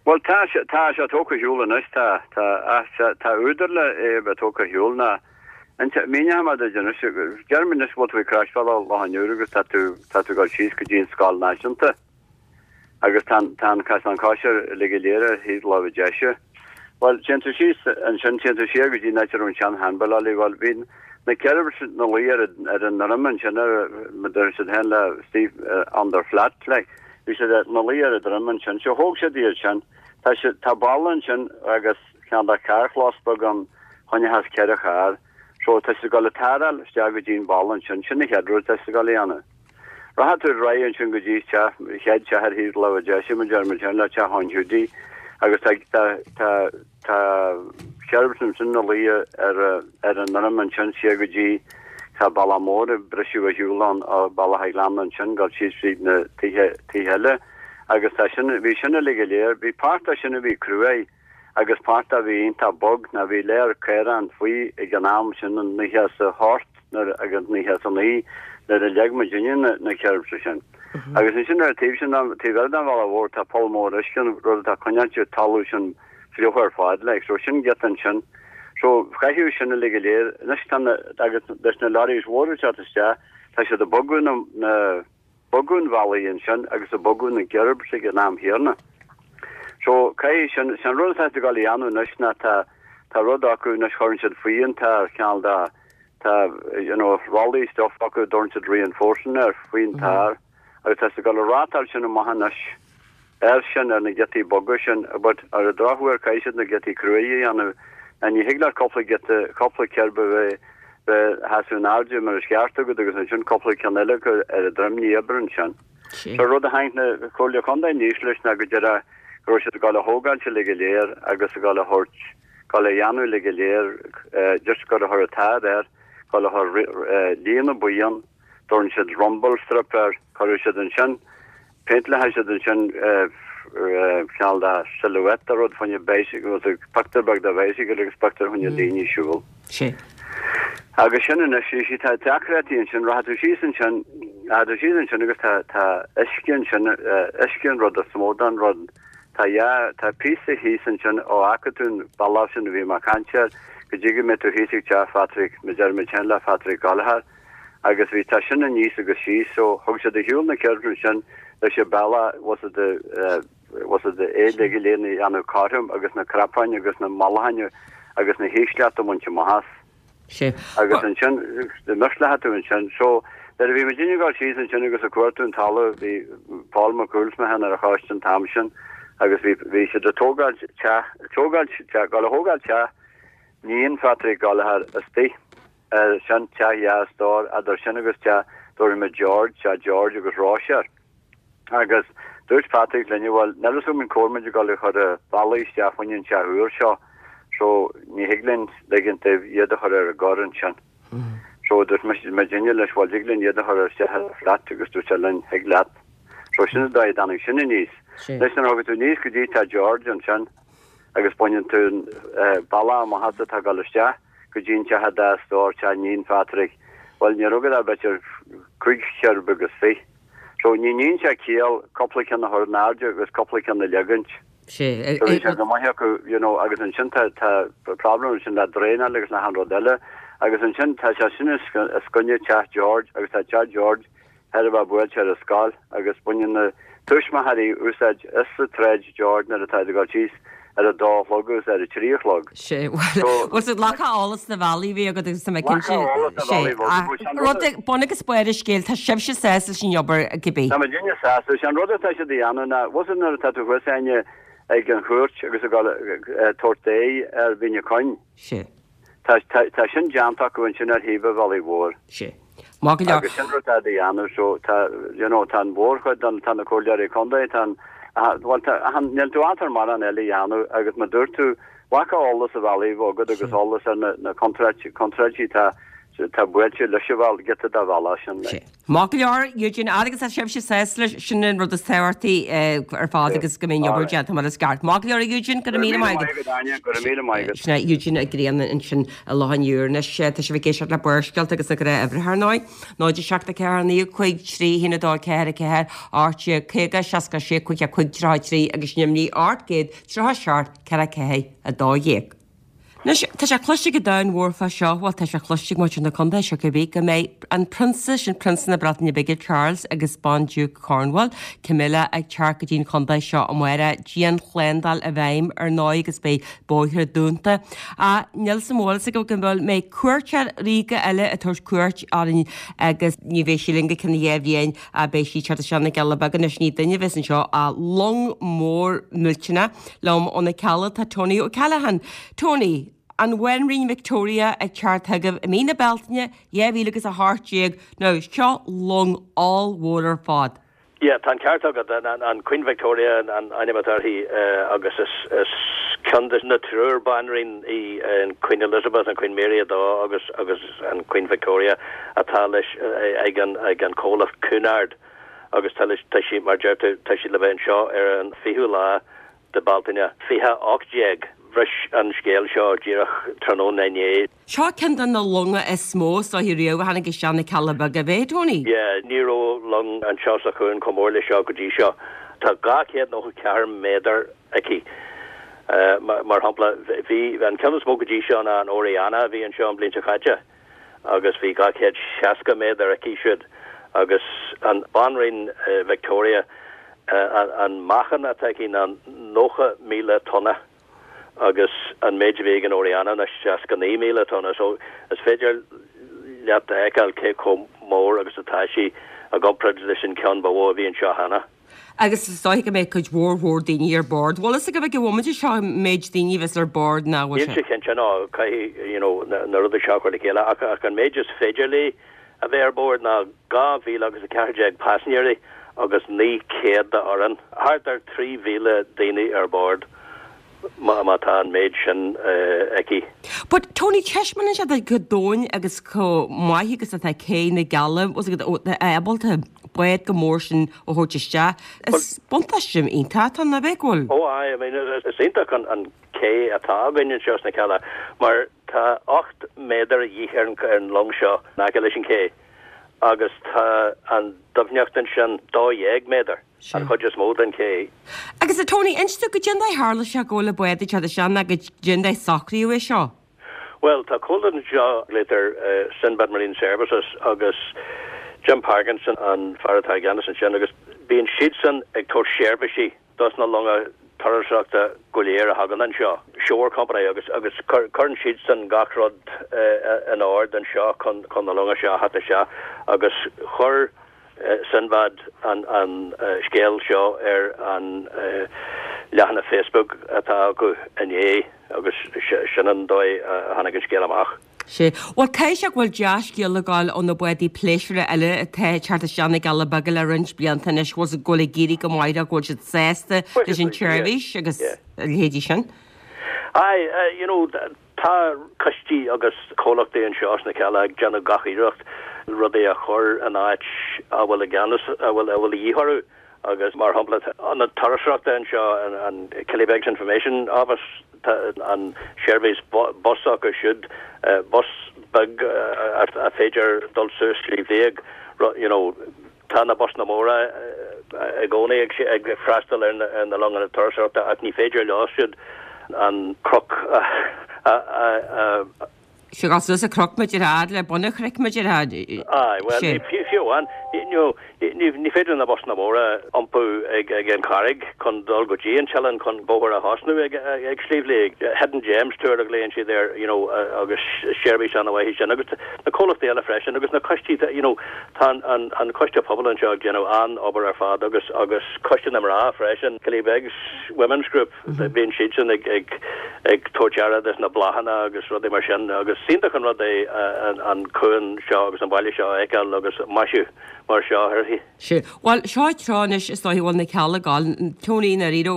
Well tá tá sé tógtha ar shiúl anois tá tá tá údar le é bheith tógtha ar shiúl ná míneoidh mé duit anois déarfaidh anois bhfuil tú ag croisbhealach Loch an Iúir agus tá tú tá tú ag dul síos go dtí an scoil náisiúnta. Agus tá tá an cosán coise uilig go léir ar thaobh láimhe deise. Well téann tú síos ansin téann tú siar go dtí an áit a raibh an sean handball well bhí na kerbs ina luí ar ar an ndroim ansin ar mar deir siad féin le Steve uh, on their flat like bhí siad ina luí ar an droim ansin so thóg siad iad sin tá si tá balla ansin agus ceann de carrchlós beag ann choinneochas ceithre charr so tá siad ag dul ag taráil isteach go dtí an balla ansin sin an chéad rud tá siad ag dul a dhéanamh. Rachaidh tú ar aghaidh ansin go dtí teach chéad teach ar thaobh láimhe deise mar deir muid féin le teach an Hiúdaí agus tá tá tá tá kerbs ansin ina luí ar ar an ndroim ansin siar go dtí tá bealach mór ag briseadh ar shiúl ann ó Bealach a' Ghleanna ansin go síos fríd na tithe tithe eile agus tá sin bhí sin uilig go léir bhí páirt de sin a bhí cruaidh agus páirt a bhí iontach bog ná bhí léir caorán faoi ag an am sin an naocha is a hocht nuair agus naocha is a naoi nuair a leag muidinne na na kerbs sin. Agus ansin ar taobh sin taobh eile den bhealach mhór tá poll mór uisce an rud atá coinneáilte talamh sin fliuch ar fad like so sin giota ansin. So caitheadh sin uilig go léir anois tá na agus leis na lorries mhóra teacht isteach tá siad ag bogadh na na bogadh an bhealaigh ansin agus ag bogadh na kerbs ag an am chéanna. So caithfidh sin sin rud atá ag dul a dhéanamh anois ná tá tá rud acu anois chuireann siad faoi an tar ceann de tá you know rollaí stuff acu dtugann siad reinforcing ar faoin tar agus tá siad ag dul a rátáil sin amach anois ar sin ar na giotaí boga sin but ar an drochuair caithfidh siad na giotaí cruaidh a dhéanamh a ní thig leat cúpla giota cúpla kerb a bheith bheith sheasamh in airde mar is ceart agat agus ansin cúpla ceann eile acu ar an droim ní oibreann sin. So rud a tháinig na Comhairle Contae aníos leis ná go deireadh go raibh siad ag dul a thógáil uilig go léir agus ag dul a thabhairt dul a dhéanamh uilig go léir just gur a chur tar air dul a chur líne buí ann dtugann siad rumble strip air chuir siad ansin péinteáil siad ansin ceann de silhouette a rud faoin bicycle pictiúr beag de bicycle agus pictiúr faoin daoine siúl. Sé. Agus sin anois sí tá deacrachtaí ansin rachaidh tú síos ansin rachaidh tú síos ansin agus tá tá uisce ansin uisce an rud is mó den rud tá ja tá píosa thíos ansin ó fhágfaidh tú an bealach sin a bhí mé ag caint air go dtí go mbeidh tú thíos ag teach Phatrick mar deir muid féin le Patrick Gallagher agus bhí tá sin aníos agus síos so thug siad ar shiúl na kerbs ansin leis an bealach was it the was it the é le go léir na dhéanamh cothrom agus na cnapáin agus na mallachain agus na hísleachta bhaint amach as. Sé. Agus ansin murslátha tú ansin so nuair a bhí muidinne ag dul síos ansin agus ag cuartú an talamh bhí Paul McCool mé féin ar an choiste an t-am sin agus bhí bhí siad ag tógáil teach tógáil teach dul a thógáil teach níon Phatrick Gallagher istigh ar sin teach dheas dár idir sin agus teach dúirt muid George teach George agus Roisear. Agus dúirt Patrick linne bhuel níl a fhios agam cá bhfuil muid ag dul a chur ballaí isteach faoin an teach úr seo so ní thig linn ligint dóibh iad a chur ar an gcor ansin. So dúirt muidinne leis bhuel thig linn iad a chur isteach ar flat agus dúirt sé linn thig leat. So sin an dóigh a dtáinig sin aníos. Leis an tú aníos go dtí teach George ansin agus baineann tú bealach amach as atá ag dul isteach go dtí an teach dá stór teach níon Phatrick. Well ní raibh agat b'fhéidir cúig cherb agus fiche. So ní níonn sé ciall cúpla ceann a chur in airde agus cúpla ceann a leagaint. Sé. So bhí sé go maith acu you know agus ansin tá tá problem sin le draenáil agus le han rud eile agus ansin tá sé sin is coinne teach George agus tá teach George ar a bheith buailte ar a scoil agus baineann na tuismitheoirí úsáid as sa tsráid George nuair atá ag dul síos ar a dó a chlog agus ar a trí a chlog. Sé bhfuil siad lacha eolas na bhealaí bhí agat agus tá mé cinnte sé rud bun agus barr an scéil tá sibhse sásta sin obair cibé. Tá muidinne sásta sé an rud atá siad a dhéanamh ná bhfuil nuair atá tú thuas aine ag an chúirt agus ag dul tabhairt ar Mhín an Choinn. Sé. Tá tá sin déanta acu ansin ar thaobh an bhealaigh mhóir. Sé. Má go leor. Agus sin rud atá a dhéanamh so tá you know tá an mhórchuid den tá na comhairleoirí contae tá well tá níl tú átar mar an eile a dhéanamh agus má dúirt tú Bhaca eolas a bhealaí agat agus eolas ar na na contráidí tá tá buailte leis an bheal giota dá bhealach sin. Maith go leor Eugene agus tá sibhse sásta leis sin an rud is tábhachtaí ar fad agus go mbeidh obair déanta mar is ceart. Maith go leor Eugene go raibh míle maith agat. Go raibh míle maith agat. Sin é Eugene Ó Grianna ansin i Loch an Iúir anois tá sibh ag éisteacht le Barrscéalta agus na gnáthuimhreacha ar ndóigh. Náid a seacht a ceathair naoi cúig trí haon a dó ceathair a ceathair ocht déag caoga seasca sé cúig a cúig tríocha trí agus sin imní ocht gcéad tríocha seacht ceithre ceathair a dó dhéag. Anois, tá sé cloiste go domhan mhór fá seo, bhuel tá sé cloiste ag muintir na contae seo cibé, go mbeidh an prionsa, sin Prionsa na Breataine Bige, Charles, agus Bandiúc Cornwall, Camilla, ag teacht go dtí an chontae seo amárach. Dianshlándáil i bhfeidhm ar ndóigh agus beidh bóithre dúnta. Ach níl sa mhol go mbeidh cuairteoir ríoga eile ag tabhairt cuairt orainn agus ní bheidh sí linn go ceann dhá bhliain ach beidh sí ag teacht isteach na gCealla Beaga anois ní duine a bheas anseo ach long mór millteanach liom ó na Cealla tá Tony O'Callaghan. Tony, an Bhanríon Victoria ag teacht chugaibh i mí na Bealtaine dhá mhíle agus a hocht déag nó seo long ollmhór ar fad. Yeah, tá an ceart agat, an Queen Victoria an ainm atá uirthi agus is is ceann de na triúr banríon í an Queen Elizabeth, an Queen Mary a dó agus agus an Queen Victoria atá leis ag an ag an comhlacht Cunard agus tá leis tá sí mar deir tú tá sí le bheith anseo ar an fichiú lá de Bealtaine fiche ocht déag. Bhris an scéal seo díreach tráthnóna inné. Seo ceann de na longa is mó is dóiche riamh a tháinig isteach na Cealla Beaga, ab é, Tony? Yeah, ní raibh long anseo sa chuan chomh mór le seo go dtí seo. Tá dhá chéad nócha ceathair méadar aici. Mar shampla, bhí an ceann is mó go dtí seo ná an Oriana a bhí anseo an bhliain seo caite agus bhí dhá chéad seasca méadar aici siúd agus an Banríon Victoria, an meáchan atá aici ná nócha míle tonna. agus an méid a bhí ag an Oriana ná seasca naoi míle tonna so is féidir leat a fheiceáil cé chomh mór agus atá sí i gcomparáid leis an ceann ba mhó a bhí anseo cheana. Agus is dóigh go mbeidh cuid mhór mhór daoine ar bord. Bhfuil fhios agaibh ag an bhomaite seo an méid daoine a bheas ar bord ná bhfuil sé? Níl sé cinnte no, caithfidh you know na rudaí seo a chur le chéile ach ach an méid is féidir léi a bheith ar bord ná dhá mhíle agus a ceathair déag paisinéirí agus naoi céad de fhoireann, thart ar trí mhíle daoine ar bord má tá an méid sin aici. But Tony, taispeánann sé duit chomh domhain agus chomh maith agus atá cé na gCealla, ábalta bád chomh mór sin a thabhairt isteach. Is buntáiste iontach atá ann, ab ea go bhfuil? Ó aye, I mean is iontach an cé atá againn anseo sna Cealla mar tá ocht méadar a dhíth ar an long seo in aice leis an ché agus tá an doimhneacht ansin dó dhéag méadar, an chuid is mó den ché. Agus a Tony, inis dom goidé an dóigh a tharla sé go bhfuil an bád ag teacht isteach ná goidé an dóigh a socraíodh é seo. Bhuel, tá comhlacht anseo, glaotar Sinbad Marine Services agus Jim Parkinson an fear atá i gceannas ansin agus bíonn siadsan ag tabhairt seirbhísí dos na longa turasóireachta go léir a thagann anseo, Shore Company, agus agus cuireann siadsan gach rud in ord anseo chun chun na longa seo a theacht isteach agus chuir Sinbad an an scéal seo ar an leathanach Facebook atá acu inné agus sin an dóigh a tháinig an scéal amach. Sea. Bhuel, caithfidh sé go bhfuil dea-scéal ag gabháil ó na bádaí pléisiúrtha eile atá ag teacht isteach na gCealla Beaga le roinnt blianta anois, go bhfuil ag éirí go maith leo, go bhfuil siad sásta leis an tseirbhís agus a leithéidí sin. Aye, you know, tá coistí agus comhlachtaí anseo sna Cealla ag déanamh gach iarracht rudaí a chur in áit a bhfuil i gceannas, a bhfuil a bhfuil a dhíth orthu. Agus mar shampla, ionad turasóireachta anseo, an Killybegs Information Office, tá an seirbhís bus acu siúd, bus beag a féidir dul suas Sliabh Liag, you know, tá na busanna móra i gcónaí ag freastal ar na longanna turasóireachta ach ní féidir leo siúd an cnoc a Sea, gabháil suas an cnoc mar a déarfá le bun an chnoic mar a déarfá. Aye, bhuel, fiú amháin, ní féidir na busanna móra iompú ag an charraig chun dul go dtí an t-oileán chun bóthar a thosnú ag Sliabh Liag. Hidden Gems Tour a ghlaonn siad air, you know, agus seirbhís an-mhaith í sin. Agus na comhlachtaí eile freisin agus na coistí, you know, tá an coiste pobail anseo ag déanamh an-obair ar fad agus agus coiste na mná freisin, Killybegs Women's Group. Bíonn siadsan ag ag ag tabhairt aire dos na bláthanna agus rudaí mar sin agus iontach an rud é an cuan seo agus an baile seo a fheiceáil agus maisiú mar seo uirthi. Sea. Bhuel, seo tráth anois is dóigh a bhfuil na Cealla ag gabháil, Tony, i ndáiríre,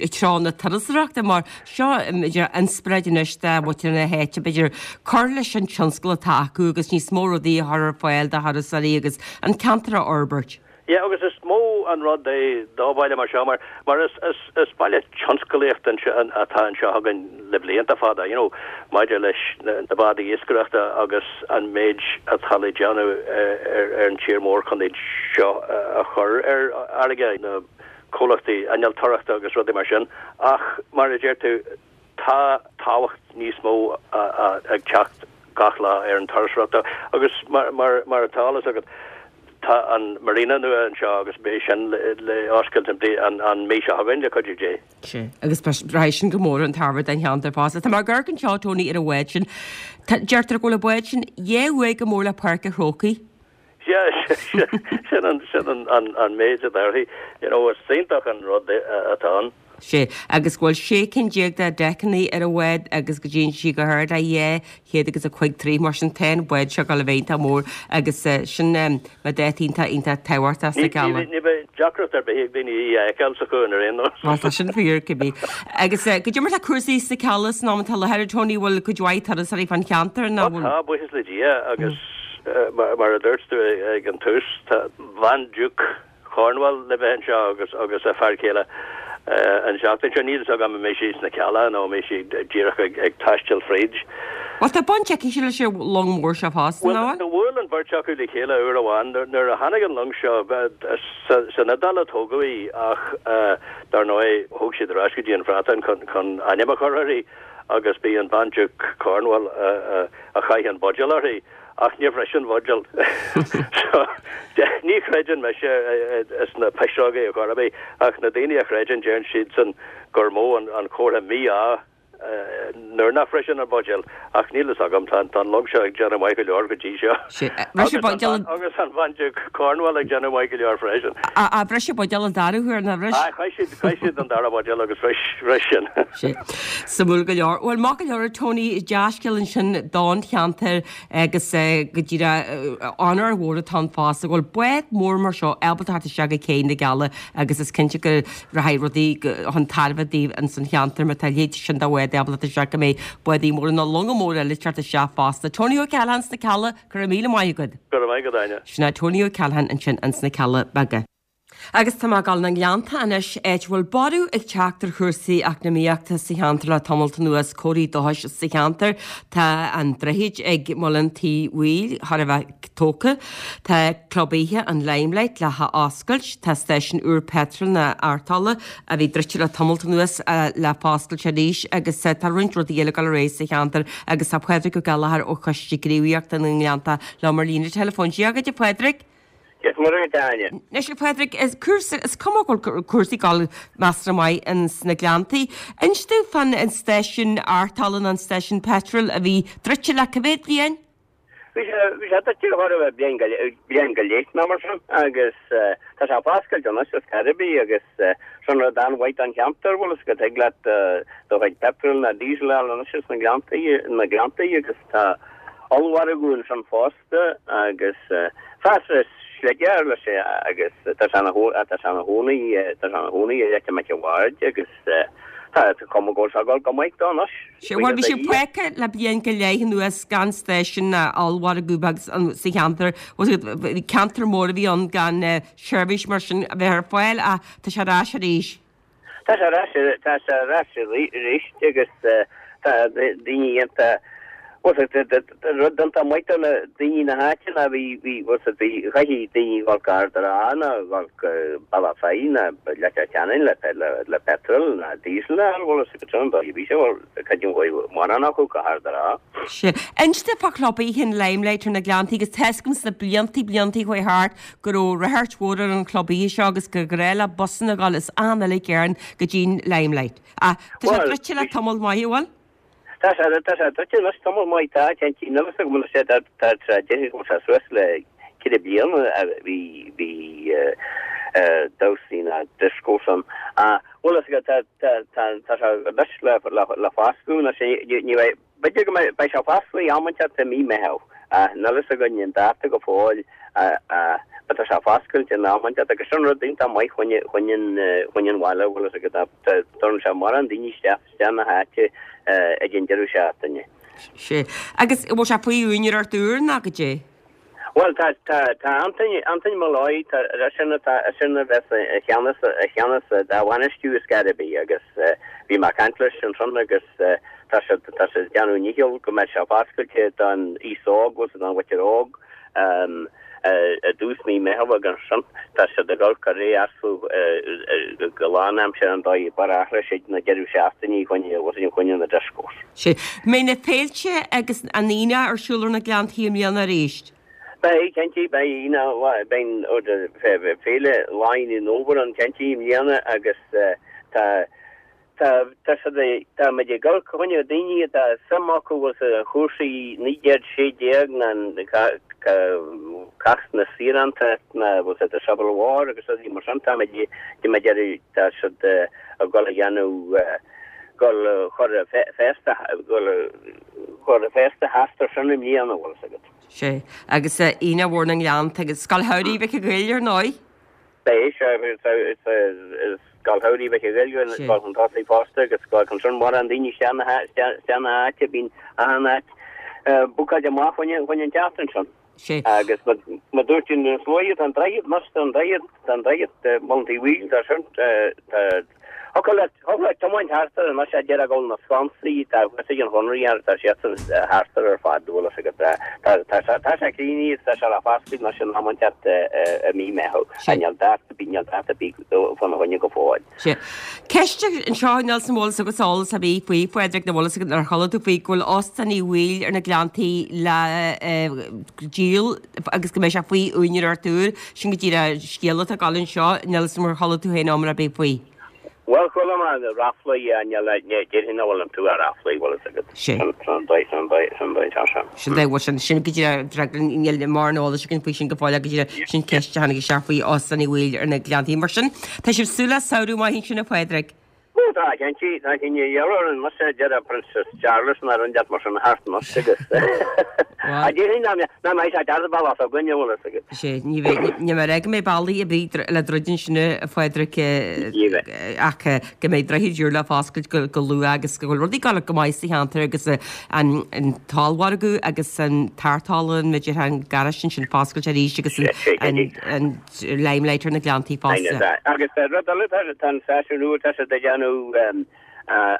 tráth na turasóireachta mar seo b'fhéidir inspioráid anois do mhuintir na háite b'fhéidir cur leis an tionscal atá acu agus níos mó rudaí a chur ar fáil do thurasóirí agus an ceantar a fhorbairt. Yeah, agus is mó an rud é do bhaile mar seo mar mar is is is baile tionsclaíochta atá anseo againn le blianta fada, you know, maidir leis na na bádaí iascaireachta agus an méid atá le déanamh ar ar an tír mór chun iad seo a chur ar fharraige, na comhlachtaí innealtóireachta agus rudaí mar sin. Ach mar a deir tú, tá tábhacht níos mó ag teacht gach lá ar an turasóireacht agus mar mar mar atá eolas agat, Tá an marina nua anseo agus beidh sin le oscailt an an mhí seo chugainn, le cuidiú Dé. Sea, agus rachaidh sin go mór chun tairbhe don cheantar fosta. Tá mé ag amharc anseo, Tony, ar an bhád sin. Tá, deirtear go bhfuil an bád sin dhá uaidh chomh mór le Páirc an Chrócaigh. Sea, sin an, sin an, an, an méid atá uirthi. You know, is iontach an rud atá ann. Sea, agus go bhfuil sé cinn déag de deiceanna ar an bhád agus go dtéann sí go hard le dhá chéad agus a cúig troigh, mar sin tá an bád seo ag dul a bheith iontach mór agus sin mar dáta iontach iontach tábhachtach sna Cealla. Ní bheidh deacracht ar bith ag daoine í a fheiceáil sa chuan ar aon nós. Bhuel, tá sin fíor, cibé. Agus goidé mar tá cúrsaí sna Cealla san am atá i láthair, Tony, bhfuil cuid mhaith turasóirí fán cheantar nó bhfuil? Tá, buíochas le Dia, agus mar a dúirt tú ag an tús, tá Bhandiúc Cornwall le bheith anseo agus agus a fear céile an tseachtain seo. Níl a fhios agam an mbeidh sí sna Cealla nó an mbeidh sí díreach ag ag taisteal fríd. Bhuel, tá baint aici leis an long mór seo fosta, nach bhfuil? Bhuel, do bhuail an bheirt acu le chéile uair amháin nuair a tháinig an long seo. San Iodáil a tógadh í ach dar ndóigh thóg siad ar ais go dtí an Bhreatain chun chun ainm a chur uirthi agus b'í an Bhandiúc Cornwall a chaith an buidéal uirthi. Ach níor bhris an bhuidéal. So, ní chreideann mise sna pisreogaí ar chor ar bith, ach na daoine a chreideann, deireann siadsan gur mó an comhartha mí-ádh nuair nach bhriseann an buidéal. Ach níl fhios agam, tá an long seo ag déanamh maith go leor go dtí seo. Bhris an buidéal an. Agus an Bhandiúc Cornwall ag déanamh maith go leor freisin. Ach bhris an buidéal an dara huair, nár bhris? Aye, chaith siad, chaith siad an dara buidéal agus bhris, bhris sin. Sea. Suimiúil go leor. Bhuel, maith go leor, a Tony, dea-scéal ansin don cheantar. Agus go díreach onóir mhór atá ann fosta go bhfuil bád mór mar seo ábalta theacht isteach go cé na gCealla agus is cinnte go rachaidh rudaí chun tairbhe daoibh ins an cheantar má tá a leithéid sin de bhád ábalta teacht isteach go mbeidh bádaí móra nó longa móra eile ag teacht isteach fosta. Tony O'Callaghan sna Cealla, go raibh míle maith agat. Go raibh maith agat, Áine. Sin é Tony O'Callaghan ansin ins na Cealla Beaga. Agus tá mé ag dul na nGleannta anois, áit a bhfuil borradh ag teacht ar chúrsaí eacnamaíochta sa cheantar le tamalt anuas, comharthaí dóchais sa cheantar. Tá an droichead ag Muileann Tí Bhaoill chóir a bheith tógtha, tá club oíche an Limelight le h-oscailt, tá stáisiún úr peitril na artála a bhí druidte le tamalt anuas le foscailt arís agus tá roinnt rudaí eile ag dul ar aghaidh sa cheantar agus tá Pádraig Ó Gallchóir ó Choiste Gníomhaíochta na nGleannta liom ar líne teileafóin. Dia dhuit a Phádraig! Dia is Muire dhuit, a Áine. Anois, a Phádraig, is cúrsa, is cuma go bhfuil cúrsaí ag dul measartha maith ins na Gleanntaí. Inis domh fán an stáisiún artála nó an stáisiún peitril a bhí druidte le cá mhéad bliain? Bhí sé, bhí sé druidte chóir a bheith bliain go, bliain go leith nó mar sin agus tá sé foscailte anois ar scor ar bith agus sin rud an-mhaith don cheantar, bhfuil fhios agat, thig leat do chuid peitril nó diesel a fháil anois sna Gleanntaí, na Gleanntaí agus tá ollmhargadh ansin fosta. Agus fásra sligear leis agus tá sé ina tá sé ina chónaí tá sé ina chónaí i Leitir Mhic a' Bhaird agus tá cuma go bhfuil sé ag dul go maith dó anois. Sea, bhuel bhí sé fágtha le bliain go leith anuas gan stáisiún ná ollmhargadh beag sa cheantar, bhí ceantar mór a bhí ann gan seirbhís mar sin a bheith ar fáil ach tá sé ar ais arís. Tá sé ar ais, tá sé ar ais arís agus tá daoine iontach, bhuel rud iontach maith do na daoine na háite ná bhí, bhí, bhuel bhí, chaithfeadh daoine dhul go Ard an Rátha nó dhul go Bealach Féich nó Leitir Ceanainn le, le, le petrol nó diesel a fháil, bhuel is go trom dóigh bhí sé, bhuel cuid an mhaith mórán acu go hArd an Rátha. Sea. Inis domh fá chlub oíche an Limelight ar na Gleanntaí agus tá fhios agam sna bliantaí, bliantaí a chuaigh thart go raibh ráchairt mhór ar an chlub oíche seo agus gur ghnách le busanna a dhul as achan uile chearn go dtí'n Limelight. Ach tá sé druidte le tamall maith, an bhfuil? Tá sé, tá sé druidte anois tamall maith, tá, cinnte, níl fhios agam anois é, tá, tá sé, déarfainn go bhfuil sé suas le ceithre bliana a bhí, bhí damhsaí ná discos ann. Ach, bhfuil fhios agat, tá, tá, tá, tá sé anois le, le, le foscadh anois, ní, ní bheidh, B'fhéidir go mbeidh sé foscailte am inteacht i mí Meitheamh. Níl fhios againn an dáta go fóill but tá sé foscailte in am inteacht agus sin rud iontach maith choinne choinne an bhaile bhfuil fhios agat tugann sé mórán daoine isteach isteach na háite ag an deireadh seachtaine. Sea. Agus bhfuil sé faoi úinéireacht úr nó goidé? Bhuel, tá, tá, tá Antaine, Antaine Molloy, tá, sin atá, sin a bheas i cheannas, i cheannas dá bhainistiú ar scor ar bith agus bhí mé ag caint leis ansan agus tá siad, tá siad ag déanamh a ndícheall go mbeidh sé foscailte don aos óg, bhfuil 's don mhuintir óg i dtús mí Meitheamh agus ansan tá siad ag dul cur é astu go lánaimseartha an dóigh bar athraigh siad na deireadh seachtainí choinne, bhfuil choinne na discos. Sea. Mbeidh na féilte agus an aonach ar siúl ar na Gleanntaí i mbliana arís? Beidh, cinnte, beidh aonach, beidh féile Lá Aonaigh an Fhómhair ann cinnte i mbliana agus tá, tá, tá siad, tá muid ag dul choinne daoine atá suim acu bhfuil sa chúrsaí naoi déag sé déag ná cath na saoránta ná bhfuil sa the Civil War agus rudaí mar sin, tá muid, tá muid ag iarraidh, tá siad ag dul a dhéanamh, dul a chur féasta, dul a chur féasta thart ar sin i mbliana, bhfuil 's agat. Sea, agus Aonach Mhór na nGleannta agus Scoil Shamhraidh Mhic an Ghoill, ar ndóigh. Beidh, sea, is Scoil Shamhraidh Mhic an Ghoill ag dul chun tosaigh fosta agus ag dul chun sin mórán daoine isteach na háite, bíonn achan áit bookáilte amach choinne an tseachtain sin. Sea. Agus mar dúirt tú níos luaithe, tá an droichead anois, tá an droichead, tá an droichead, Muileann Uí Bhaoill, tá sin, tá, Thiocfadh leat, thiocfadh leat tiomáint thart air anois, a déarfá go bhfuil na sconsaí, tá thuas ag an Chonradh thart, tá siadsan thart air ar fad, bhfuil fhios agat. Tá, tá, tá, tá sé críochnaithe agus tá sé le foscailt anois in am inteacht i mí Meitheamh. Sea. Níl dáta, níl dáta ar bith fána choinne go fóill. Sea. Ceist anseo, níl 's an bhfuil fhios agat eolas ar bith faoi, Phádraig, nó bhfuil fhios agat ar chuala tú faoi go bhfuil Óstán Uí Bhaoill ar na Gleanntaí le díol agus go mbeidh sé faoi úinéireacht úr. Sin go díreach scéal atá ag dul anseo, níl 's ar chuala tú féin iomrá ar bith faoi. Bhuel, chuala mé ráflaí, níl, déarfainn nach bhfuil iontu ach ráflaí, bhfuil fhios agat. Sin. Sin an dóigh, sin an dóigh, sin an dóigh atá sé. Sin dóigh, bhuel, sin, sin go díreach, níl mórán eolais againn faoi sin go fóill ach go díreach, sin ceist a tháinig isteach faoi Óstán Uí Bhaoill ar na Gleanntaí. Mar sin, tá sibh ag súil le samhradh maith ansin, a Phádraig? Ó tá, cinnte, tá cinnte, gheall orainn, muise, a deir Princess Charles ná rud inteacht mar sin thart anois agus a déarfainn nach mbeidh sé deas bealach s'againne, bhfuil fhios agat. Sea, ní bheidh, ní mbeidh go mbeidh bealaí ar bith le druid ansin, a Phádraig, ach go mbeidh droichid úr le foscailt go luath agus go bhfuil rudaí ag dul go maith sa cheantar agus an t-ollmhargadh agus an tárrthálann, b'fhéidir, an garáiste ansin foscailte arís agus an Limelight ar na Gleanntaí fosta. Agus rud eile, tá an stáisiún nua, tá siad ag déanamh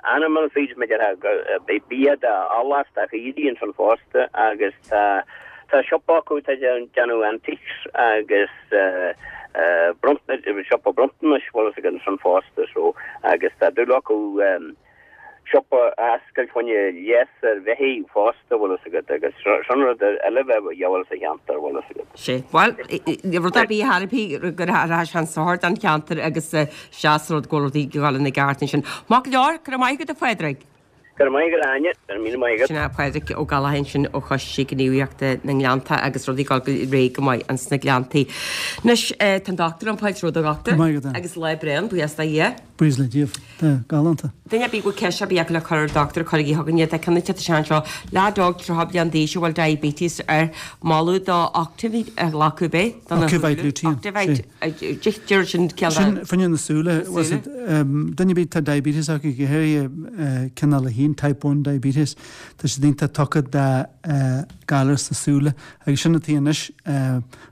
animal feeds, mar a déarfá, beidh bia d'ealla is do chaoirigh ansan fosta agus tá tá siopa acu atá ag déanamh antiques agus siopa bronntanais, bhfuil fhios agat, ansan fosta so agus tá dúil acu siopa a oscailt choinne leigheas ar bheithígh fosta, bhfuil fhios agat, agus sin rud eile a bheadh a dhíobháil sa cheantar, bhfuil fhios agat. Sea, bhuel, rud ar bith a thairbhí go rachaidh sé chun sochair don cheantar agus seas rud go bhfuil rudaí ag dul ina gceart ansin. Maith go leor, go raibh maith agat a Phádraig. Go raibh maith agat a Áine, go raibh míle maith agat. Sin é Pádraig Ó Gallchóir ansin ó Choiste Gníomhaíochta na nGleannta agus rudaí ag dul go réidh go maith ins na Gleanntaí. Anois, tá an dochtúir ann, fáilte romhat a dhochtúir. Go raibh maith agat a Áine. Agus lá breá ann, buíochas do Dhia. Buíochas le Dia. Tá galánta. Duine ar bith go bhfuil ceist ar bith acu le cur ar an dochtúir, cuirigí chugainn iad. Tá ceann ag teacht isteach anseo. Leaid óg tríocha bliain d'aois a bhfuil diabetes air, moladh dó Octavite a ghlacadh ab é? Ocuvite Lutein. Octavite. Deir sin ceann Sin fá choinne na súile. Duine ar bith atá diabetes acu, go háirithe cineál a haon, type one diabetes, tá siad iontach tugtha do galar sna súile. Agus sin atá anois,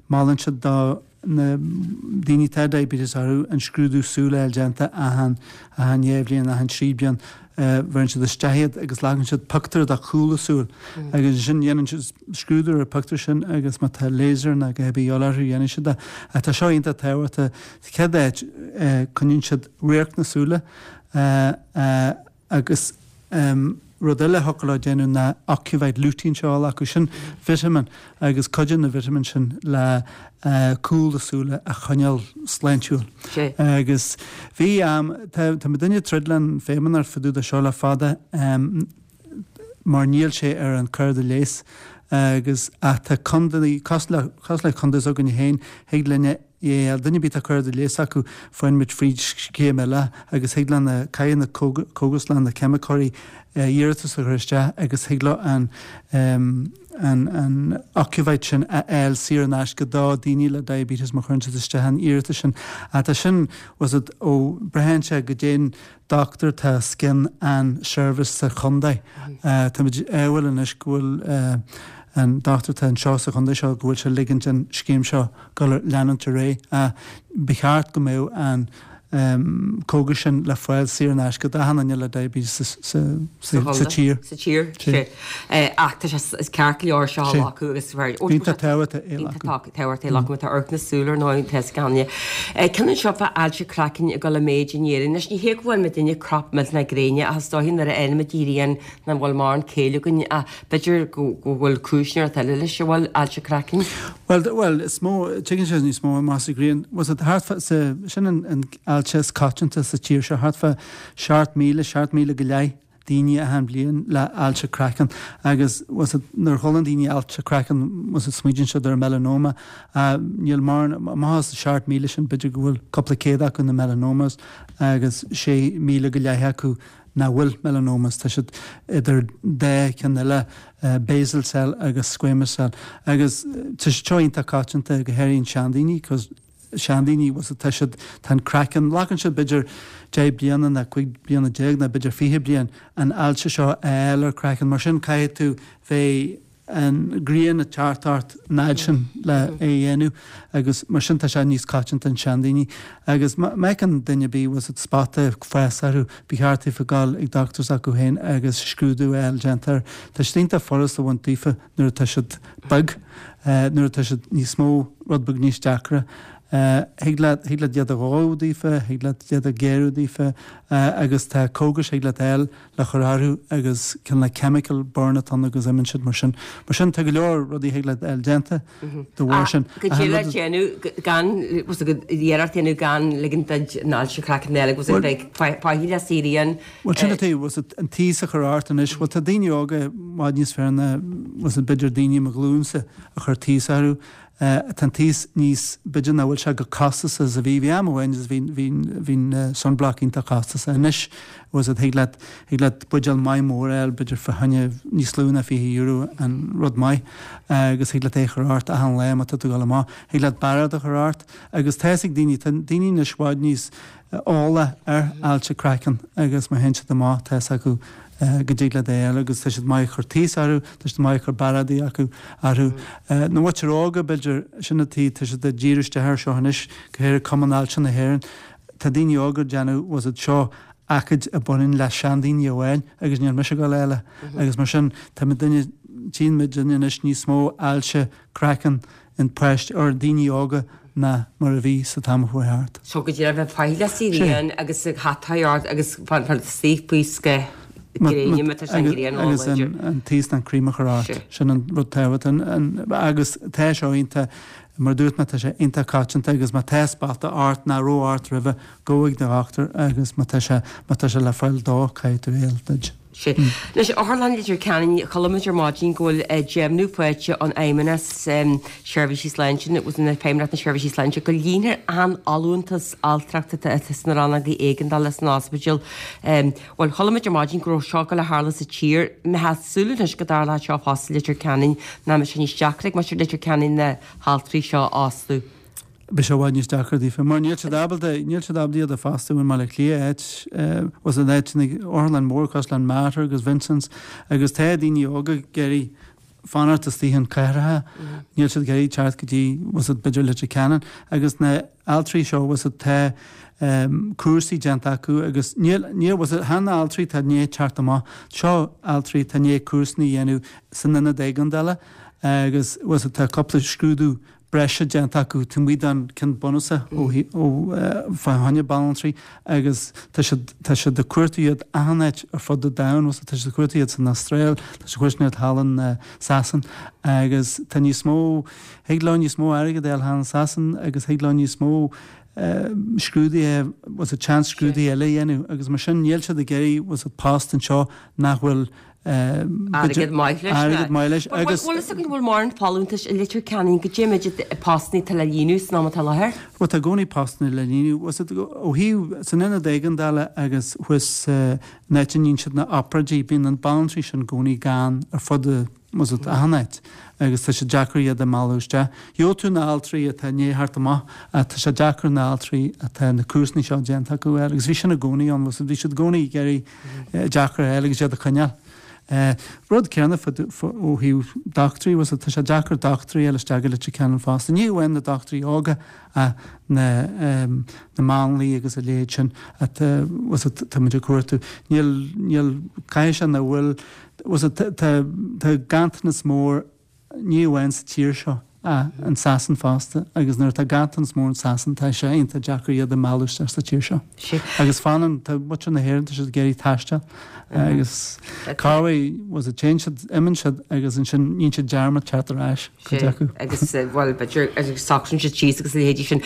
molann siad do na daoine atá diabetes orthu an scrúdú súl a fháil déanta achan achan dhá bhliain, achan trí bliain. Bheireann siad isteach iad agus glacann siad pictiúr de chúl a súl agus ansin dhéanann siad scrúdú ar an pictiúr sin agus má tá laser nó a dhath ar bith de dhíobháil orthu dhéanann siad é. Ach tá seo iontach tábhachtach. Sa chéad áit coinníonn siad radharc na súile agus rud eile a thiocfadh leo déanamh ná Ocuvite Lutein seo a ghlacadh, sin vitamin agus cuidíonn na vitamins sin le cúl na súile a choinneáil sláintiúil. Agus bhí am, tá tá muidinne ag troid leis an Feidhmeannacht fá dtaobh de seo le fada mar níl sé ar an cárta leighis agus ach tá contae, cosúil le cosúil le contae s'againne féin, thig linne é duine ar bith atá cóir do leigheas acu faigheann muid fríd scéim eile agus thig le na caithfidh na cógaslanna na ceimiceoirí iarratas a chur isteach agus thig leo an an an Ocuvite sin a fháil saor in aisce do daoine le diabetes má chuireann siad isteach an iarratas sin. Ach tá sin was it ó braitheann sé goidé an dochtúir atá os cionn an seirbhís sa chontae. Táimid ádhúil anois go bhfuil an dochtúir atá anseo sa chontae seo go bhfuil sé ag ligint an scéim seo dul leanúint ar aghaidh. Ba cheart go mbeadh an cógas sin le fáil saor in aisce d'achan duine le diabetes sa tír. Sa tír, sea. Ach tá sé is ceart go leor seo a ghlacadh agus Iontach tábhachtach é a ghlacadh. Tábhachtach é a ghlacadh má tá amharc na súl ar ndóigh tá 's againne. Ceann anseo fá ailse craicinn ag dul i méid in Éirinn. Anois ní hé go bhfuil muidinne crap millteanach gréine ach is dóiche nuair a fhaigheann muid an ghrian nach bhfuil mórán céille againn ach b'fhéidir go bhfuil cúis nó rud eile leis an bhfuil ailse craicinn. Bhuel, bhuel, is mó, tuigeann sé níos mó amach sa ghrian. Was it thart fá, sa, sin an, an ailse is coitianta sa tír seo, thart fá seacht míle, seacht míle go leith daoine achan bhliain le ailse craicinn. Agus was it, nuair a chualann daoine ailse craicinn, was it, smaoitíonn siad ar melanoma. Uh, níl mórán, amach as seacht míle sin, b'fhéidir go bhfuil cúpla céad acu na melanomas agus sé míle go leith acu nach bhfuil melanomas, tá siad idir dhá cheann eile, basal cell agus squamous cell. Agus tá siad seo iontach coitianta go háirithe in seandaoine, cos seandaoine, was it, tá siad, tá an craiceann, glacann siad b'fhéidir deich bliana nó cúig bliana déag nó b'fhéidir fiche bliain an ailse seo a fháil ar craiceann, mar sin caithfidh tú bheith an ghrian ag teacht ort an fhad sin le é a dhéanamh agus mar sin tá sé níos coitianta in seandaoine. Agus má fheiceann duine ar bith was it spota ag fás orthu, ba cheart daofa dul ag dochtúir s'acu féin agus scrúdú a fháil déanta air. Tá siad iontach furast a bhaint daofa nuair atá siad beag, nuair atá siad níos mó, rud beag níos deacra. Thig leat, thig leat iad a dhó daofa, thig leat iad a ghéarú daofa agus tá cógais thig leat a fháil le chur orthu agus cineál like chemical burn atá ann agus imíonn siad mar sin. Mar sin tá go leor rudaí thig leat a fháil déanta de bharr sin. Go dtig leat déanamh gan, iarracht a dhéanamh gan ligint duit an ailse craicinn eile agus bheith faichilleach sa ghrian. Bhuel sin atá, was it an taos a chur ort anois, bhuel tá daoine óga i bhfad níos fearr ná was it b'fhéidir daoine mo ghlúinsa a chur taos orthu. Tá an taos níos, b'fhéidir nach bhfuil sé chomh costasach is a bhí. Bhí am amháin agus bhí, bhí, bhí an sunblock iontach costasach. Anois, was it, thig leat, thig leat buidéal maith mór a fháil, b'fhéidir fá choinne níos lú ná fiche euro an rud maith, agus thig leat é a chur ort achan lá má tá tú ag dul amach. Thig leat bearád a chur ort agus tá fhios ag daoine, tá daoine anois i bhfad níos eolaí ar ailse craicinn agus má théann siad amach tá fhios acu go dtig leat é a fháil agus tá siad maith ag cur taos orthu, tá siad maith ag cur bearádaí acu orthu. Na muintir óga, b'fhéidir, sin an taobh, tá siad ag díriú isteach air seo anois, go háirithe Cumann Ailse na hÉireann. Tá daoine óga ag déanamh, was it, seo ócáid a bhaineann le seandaoine amháin agus níl mise ag dul eile. Agus mar sin, tá muidinne, tchíonn muidinne anois níos mó ailse craicinn in páistí, or daoine óga ná mar a bhí sa t-am a chuaigh thart. So go dtí bheith faichilleach sa ghrian agus ag hataí ort agus fan suí faoi scáth gréine má tá sé an ghrian Agus an taos ná an cream a chur ort. Sin an rud tábhachtach. Agus tá seo iontach, mar a dúirt mé, tá sé iontach coitianta agus má tá spota ort nach raibh ort roimhe, gabh ag do dhochtúir agus má tá sé, má tá sé le fáil dó, caithfidh tú é a fháil duit. Sea. Anois, Otharlann Leitir Ceanainn, chuala muid ar maidin go bhfuil deimhniú faighte ón Fheidhmeannas Seirbhísí Sláinte, nó Feidhmeannacht na Seirbhísí Sláinte, go líonfar an fholúntas altrachta atá sna rannógaí éigeandála san ospidéal. Bhuel, chuala muid ar maidin go raibh seo ag dul a tharlú sa tír. Mbeifeá ag súil anois go dtarlódh seo fosta i Leitir Ceanainn, nach mbeadh sé níos deacra ag muintir Leitir Ceanainn na haltraí seo a fhostú? Beidh sé i bhfad níos deacra daofa, mar níl siad ábalta, níl siad ábalta iad a fhostú i mBaile Átha Cliath, áit, was an áit, otharlann mór cosúil le Mater agus Vincent's, agus tá daoine óga ag iarraidh fanacht istigh in cathracha, níl siad ag iarraidh teacht go dtí, was it, b'fhéidir Leitir Ceanainn, agus na altraí seo, was it, tá cúrsaí déanta acu agus níl, níl, was it, chan altraí atá i ndiaidh teacht amach, seo altraí atá i ndiaidh cúrsaí a dhéanamh san ionad éigeandála agus, was it, tá cúpla scrúdú breise déanta acu taobh amuigh den ceann bunúsach ó ó fá choinne banaltraí agus tá siad tá siad ag cuartú iad achan áit ar fud an domhain bhfuil tá siad ag cuartú iad san Astráil tá siad ag cuartú iad thall in Sasain agus tá níos mó thig leo níos mó airgead a fháil thall in Sasain agus thig leo níos mó scrúduithe bhfuil seans scrúduithe eile a dhéanamh agus mar sin níl siad ag iarraidh bhfuil post anseo nach bhfuil Airgead maith leis. Airgead maith leis agus. Bhfuil fhios againn bhfuil mórán folúntais i Leitir Ceanainn goidé méid postanna atá le líonadh san am atá i láthair? Bhuel tá i gcónaí postanna le líonadh. Ó thaobh san ionad éigeandála agus thuas an áit a ndéanann siad na obráidí bíonn na banaltraí sin i gcónaí gann ar fud bhfuil fhios agat achan áit agus tá sé deacair iad a mhealladh isteach. Gheobhaidh tú na altraí atá i ndiaidh theacht amach ach tá sé deacair na altraí atá na cúrsaí seo déanta acu a fháil agus bhí sin i gcónaí ann, bhfuil fhios agat, bhí siad i gcónaí ag iarraidh deacair a fháil agus iad a choinneáil. Rud céanna ó thaobh dochtúirí, bhfuil fhios agat, tá sé deacair dochtúirí a fháil isteach go Leitir Ceanainn fosta. Ní amháin na dochtúirí óga ach na na máinliaigh agus a leithéid sin atá, bhfuil fhios agat, tá muid ag cuartú. Níl, níl, caithfidh sé nach bhfuil, bhfuil fhios agat, tá, tá ganntanas mór ní amháin sa tír seo ach in Sasain fosta agus nuair atá ganntanas mór in Sasain tá sé iontach deacair iad a mhealladh isteach sa tír seo. Agus fanann, tá muintir na hÉireann, tá siad ag iarraidh taisteal agus corruair, bhfuil fhios agat, téann siad, imíonn siad agus ansin níonn siad dearmad teacht ar ais, cuid acu. Agus bhuel b'fhéidir agus socraíonn siad síos agus a leithéidí sin.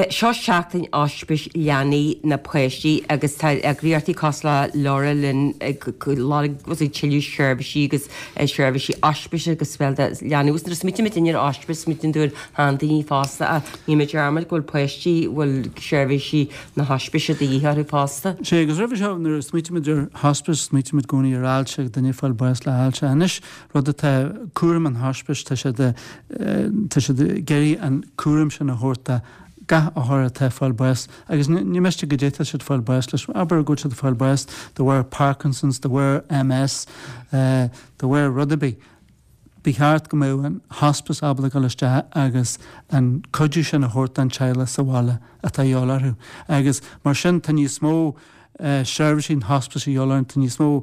Seo seachtain ospís leanaí na páistí agus tá eagraíochtaí cosúil le LauraLynn ag lorg tuilleadh seirbhísí agus seirbhísí ospís agus bhuel do leanaí agus nuair a smaoitíonn muid ar ospís smaoitíonn tú ar sheandaoine fosta ach níl muid dearmad go bhfuil páistí bhfuil seirbhísí na hospise de dhíth orthu fosta. Sea, agus roimhe seo nuair a smaoitímid ar hospice smaoitímid i gcónaí ar ailse, duine ag fáil bás le hailse. Anois rud atá, cúram an hospice, tá siad, tá siad ag iarraidh an cúram sin a thabhairt do gach othar atá ag fáil bás agus ní miste goidé tá siad ag fáil bás leis, abair go bhfuil siad ag fáil bás de bharr Parkinson's, de bharr MS, de bharr rud ar bith. Ba cheart go mbeadh an hospice ábalta dul isteach agus an cuidiú sin a thabhairt don teaghlach sa bhaile atá a dhíobháil orthu. Agus mar sin tá níos mó seirbhísí an hospice a dhíobháil orainn, tá níos mó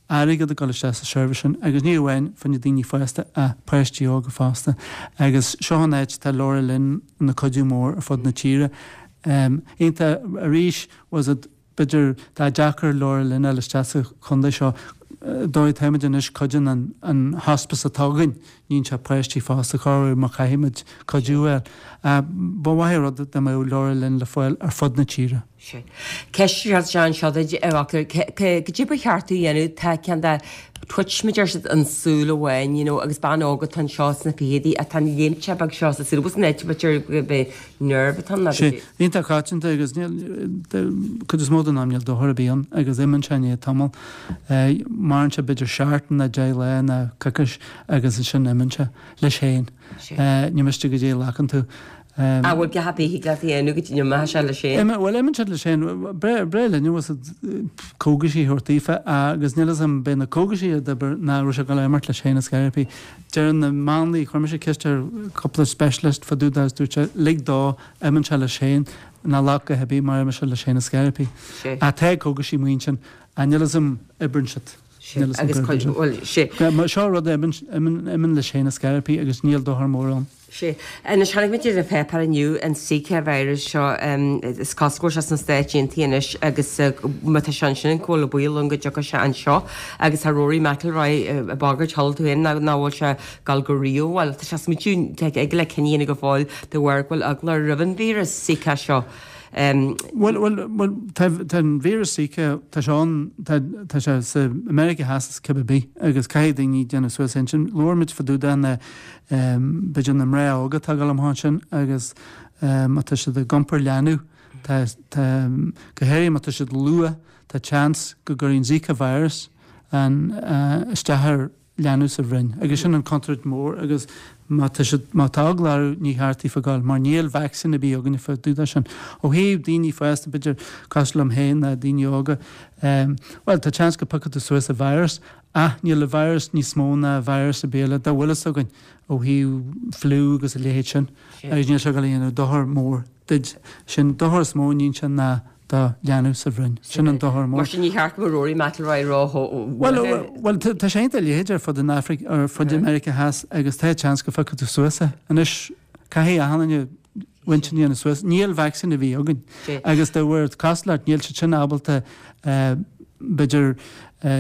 airgead ag dul isteach sa seirbhís sin agus ní amháin fá choinne daoine fásta ach páistí óga fosta. Agus seo an áit atá LauraLynn ina cuidiú mór ar fud na tíre. Iontach arís was it b'fhéidir tá deacair LauraLynn a fháil isteach sa chontae seo dóigh táimid anois cuidíonn an an hospice atá againn níonn sé páistí fosta corruair má chaithfimid cuidiú a fháil. Ba mhaith an rud dá mbeadh LauraLynn le fáil ar fud na tíre. Sea. Ceist anseo duit a dhochtúir, goidé ba cheart a dhéanamh tá ceann de twitch mar a deir siad an súil amháin you know agus bean óg atá anseo sna fichidí atá an léimte beag seo sa súil agus an áit b'fhéidir gurb é nerve atá ann Sea, iontach coitianta agus níl, cuid is mó den am níl dochar ar bith ann agus imíonn sé i ndiaidh tamaill. Maireann sé b'fhéidir seachtain nó deich lá nó coicís agus ansin imíonn sé leis féin. Ní miste goidé a ghlacann tú. An bhfuil a dhath ar bith a thig leat a dhéanamh go dtí go n-imeoidh sé leis féin? Bhuel, imíonn siad leis féin. Breá linn bhfuil fhios agat cógaisí a thabhairt daofa agus níl fhios agam beidh na cógaisí ag obair ná raibh sé ag dul a imeacht leis féin ar scor ar bith. Deireann na máinliaigh, chuir mise ceist ar cúpla specialist fá dtaobh de agus dúirt sé lig dó, imíonn sé leis féin, ná glac a dhath ar bith mar imeoidh sé leis féin ar scor ar bith. Ach tá cógaisí amuigh ansin ach níl fhios agam oibreann siad. Níl fhios agam Agus bhuel, sé. Seo rud a imíonn leis féin ar scor ar bith agus níl dochar mór ann. Sea. Anois, chonaic muid ar an pháipéar inniu an Zika virus seo, is cosúil go bhfuil sé sna Stáit Aontaithe anois agus má tá sé ansin go bhfuil baol ann go dtiocfaidh sé anseo agus tá Rory McIlroy ag bagairt, chuala tú féin, nach bhfuil sé ag gabháil go Rio, bhuel, tá sé smaoitiú, tá ag le cinneadh a dhéanamh go fóill de bharr go bhfuil eagla roimh an víreas Zika seo. Bhuel, bhuel, bhuel, tá, tá an víreas Zika, tá sé ann, tá, tá sé sa Meiriceá Theas is cibé bith agus caithfidh daoine déanamh suas intinn. Labhair muid fá dtaobh de na, b'fhéidir na mná óga atá ag dul amach ansin agus má tá siad ag iompar leanbh, tá, tá, go háirithe má tá siad luath, tá seans go gcuirfidh an Zika virus an, isteach ar leanbh sa bhroinn agus sin an contúirt mór agus má tá siad, má tá eagla orthu ní cheart daofa gabháil mar níl vacsaín ar bith againne fá dtaobh de sin. Ó thaobh daoine fásta b'fhéidir cosúil liom féin ná daoine óga, bhuel tá seans go piocfaidh tú suas an virus ach níl an virus níos mó ná virus ar bith eile dá bhfuil fhios againn ó thaobh fliú agus a leithéid sin agus níl sé ag dul a dhéanamh dochar mór duit. Sin dochar is mó a níonn sé ná do leanbh sa bhroinn. Sin an dochar mór. Mar sin ní cheart go mbeadh Rory McIlroy ró-bhuartha. Bhuel, bhuel, tá sé iontach leitheadach ar fud an Afraic, ar fud Meiriceá Theas agus tá seans go phiocfaidh tú suas é. Anois, caithfidh achan duine a intinn a dhéanamh suas. Níl vacsaín ar bith againn. Agus de bharr cosúlacht, níl siad sin ábalta, b'fhéidir,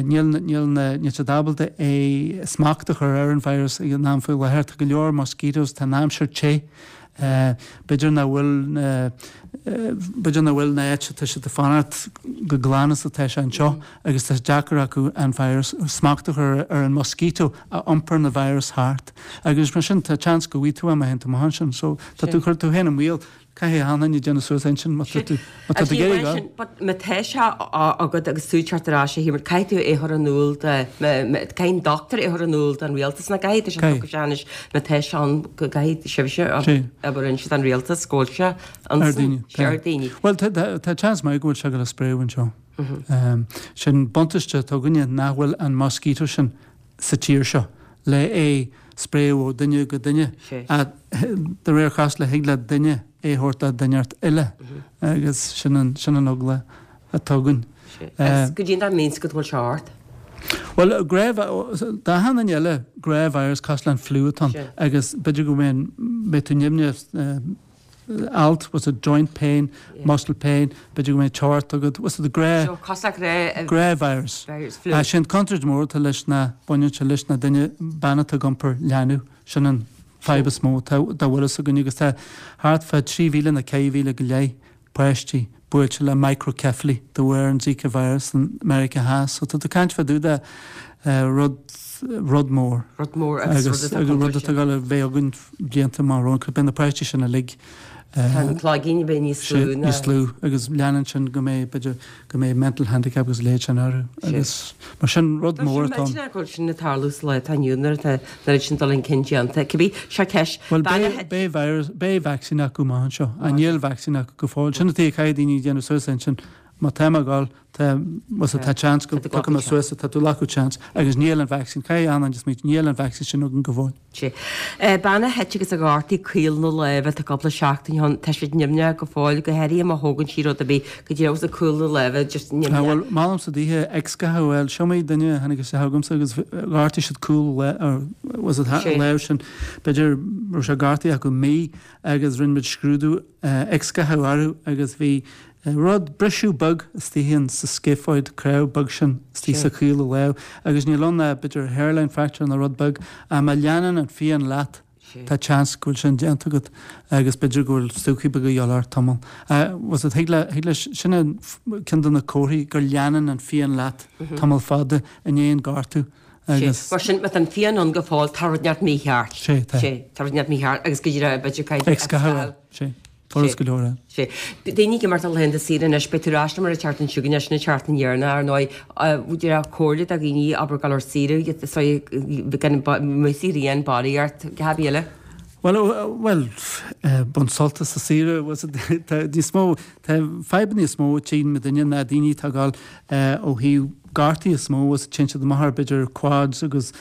níl, níl na, níl siad ábalta é smacht a chur ar an virus ag an am faoi láthair. Tá go leor mosquitoes, tá an aimsir te. B'fhéidir nach bhfuil na b'fhéidir nach bhfuil na áit atá siad ag fanacht chomh glan is atá sé anseo agus tá sé deacair acu an virus smacht a chur ar an mosquito a iompair na virus thart agus mar sin tá chance go bhfaighidh tú é má théann tú amach ansin so tá tú ag cur tú féin i mbaol. Caithfidh achan duine déanamh suas intinn má tá tú má tá tú ag iarraidh gabháil. But má tá sé agat agus tú ag teacht ar ais a Shéamuis, caithfidh tú é a chur in iúl do, caithfidh an dochtúir é a chur in iúl don rialtas nó caithfidh tú sé sé anois má tá sé ann go gcaithfidh sibhse abair inse don rialtas go bhfuil sé ansin, sé ar daoine. Bhuel tá chance maith go bhfuil sé ag dul a spréadh anseo. Sin buntáiste atá againne nach bhfuil an mosquito sin sa tír seo le é spréadh ó duine go duine. De réir cosúlachta thig le duine é a thabhairt do duine eile agus sin an sin an eagla atá againn. Agus goidé an means go bhfuil sé ort? Bhuel, d'achan duine eile, gnáth-virus cosúil le an fliú atá ann agus b'fhéidir go mbeidh mbeidh tú nimhneach alt, what's it, joint pain, muscle pain, b'fhéidir go mbeidh teocht agat, what's it, gnáth, So, cosúil le gnáth, gnáth-virus. Virus, fliú. Sin contúirt mór atá leis na baineann sé leis na duine, bean atá ag iompar leanbh, sin an fadhb is mó atá dá bhfuil fhios againn agus tá thart fá trí mhíle nó ceithre mhíle go leith páistí buailte le microcephaly de bharr an Zika virus in Meiriceá Theas. So tá tú ag caint fá dtaobh de rud, rud mór. Rud mór agus rud atá Agus rud atá ag dul a bheith againn blianta amach romhainn. Beidh na páistí sin uilig Tá an cloigeann ag bheith níos lú ná. Níos lú agus leanann sin go mbeidh, b'fhéidir, go mbeidh mental handicap agus a leithéid sin orthu. Agus mar sin rud mór atá ann. Tá sé millteanach go bhfuil sin ag tarlú sa lá atá inniu nuair atá an oiread sin dul chun cinn déanta. Cibé, seo ceist. Bhuel beidh, beidh virus, beidh vaccine acu amach anseo. Ach níl vaccine acu go fóill. Sin an tuige a caithfidh daoine déanamh suas intinn. Má tá mé ag dul, tá, más tá chance go dtiocfaidh mé suas, tá tú ag glacadh chance agus níl an vaccine, caithfidh achan duine smaointiú, níl an vaccine sin againn go fóill. Sea. Bean a thit agus a ghortaigh caol na láimhe tá cúpla seachtain ó shin, tá siad nimhneach go fóill, go háirithe má thógann sí rud ar bith go dtí agus cúl na láimhe just nimhneach. Bhuel, molaimse daoithe x-gha a fháil, seo iomaí duine a tháinig isteach chugamsa agus ghortaigh siad cúl or was it lámh sin, b'fhéidir raibh sé gortaithe acu mí agus rinne muid scrúdú x-gha orthu agus bhí Rud, briseadh beag istigh in sa scaphoid, cnámh beag sin istigh sa chaol i lámh agus níl ann ach b'fhéidir hairline fracture nó rud beag ach má leanann an phian leat tá chance go bhfuil sin déanta agat agus b'fhéidir go bhfuil stúcaí beaga a dhíobháil ort tamall. Was it, thig le, thig le, sin an ceann de na comharthaí gur leanann an phian leat tamall fada i ndiaidh an gortú agus. Mar sin, má tá an phian ann go fóill, tá rud inteacht mícheart. Sé, tá. Sé, tá rud inteacht mícheart agus go díreach b'fhéidir caithfidh tú X-gha a fháil, sé. Furas go leor é. Sea. Daoine ag imeacht ar laethanta saoire anois, beidh tú ar ais liom ar an tseachtain seo chugainn, sin an tseachtain dheireanach, ar ndóigh. Díreach comhairle do dhaoine, abair, dul ar saoire, gan amuigh sa ghrian, barraíocht, cad eile? Bhuel, bhuel, bain sult as an saoire, tá níos mó, tá fadhbanna níos mó tchíonn muidinne ná daoine atá ag dul ó thaobh gortaithe is mó is téann siad amach ar b'fhéidir quads agus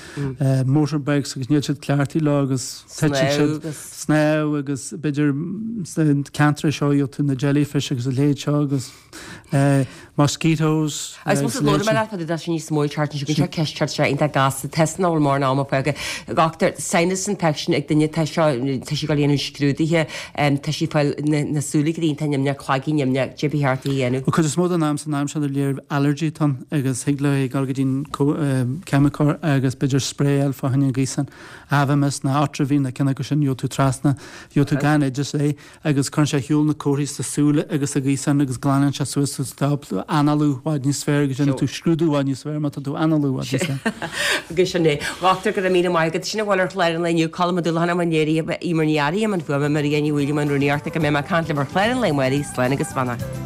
motorbikes agus níl siad cleachtaithe leo agus titeann siad snámh agus b'fhéidir sna ceantracha seo gheobhaidh tú na jellyfish agus a leithéid seo agus mosquitoes Agus más labhróidh mé leat fá dtaobh de sin níos mó an tseachtain seo chugainn, seo ceist ceart seo iontach gasta, tá nach bhfuil mórán ama fágtha. Dochtúir, sinus infection ag duine tá seo tá sí ag dul a dhéanamh scrúduithe, tá sí ag fáil na súile go iontach nimhneach, cloigeann nimhneach, cad é ba cheart di a dhéanamh. Bhuel, cuid is mó den am san am sin ar léir allergy atá ann agus thig léi dul go dtí an ceimiceoir agus b'fhéidir spray a fháil fá choinne an ghaoth sin, Avamys nó Otrivine nó ceann acu sin, gheobhaidh tú trasna, gheobhaidh tú gan oideas é agus cuireann sé ar shiúl na comharthaí sna súile agus sa ghaoth sin agus glanann sé suas tú stop análú i bhfad níos fearr agus déanann tú scrúdú i bhfad níos fearr má tá tú análú i bhfad níos fearr. Agus sin é. Dhochtúir, go raibh míle maith agat. Sin a bhfuil ar chlár an lae inniu, Colm Ó Dúlacháin i mbun léirithe, Emer Ní Fhearraigh i mbun fuaime, Maria Ní Mhaoileoin i mbun rúnaíochta. Go mbeidh mé ag caint libh ar chlár an lae amárach, slán agus beannacht.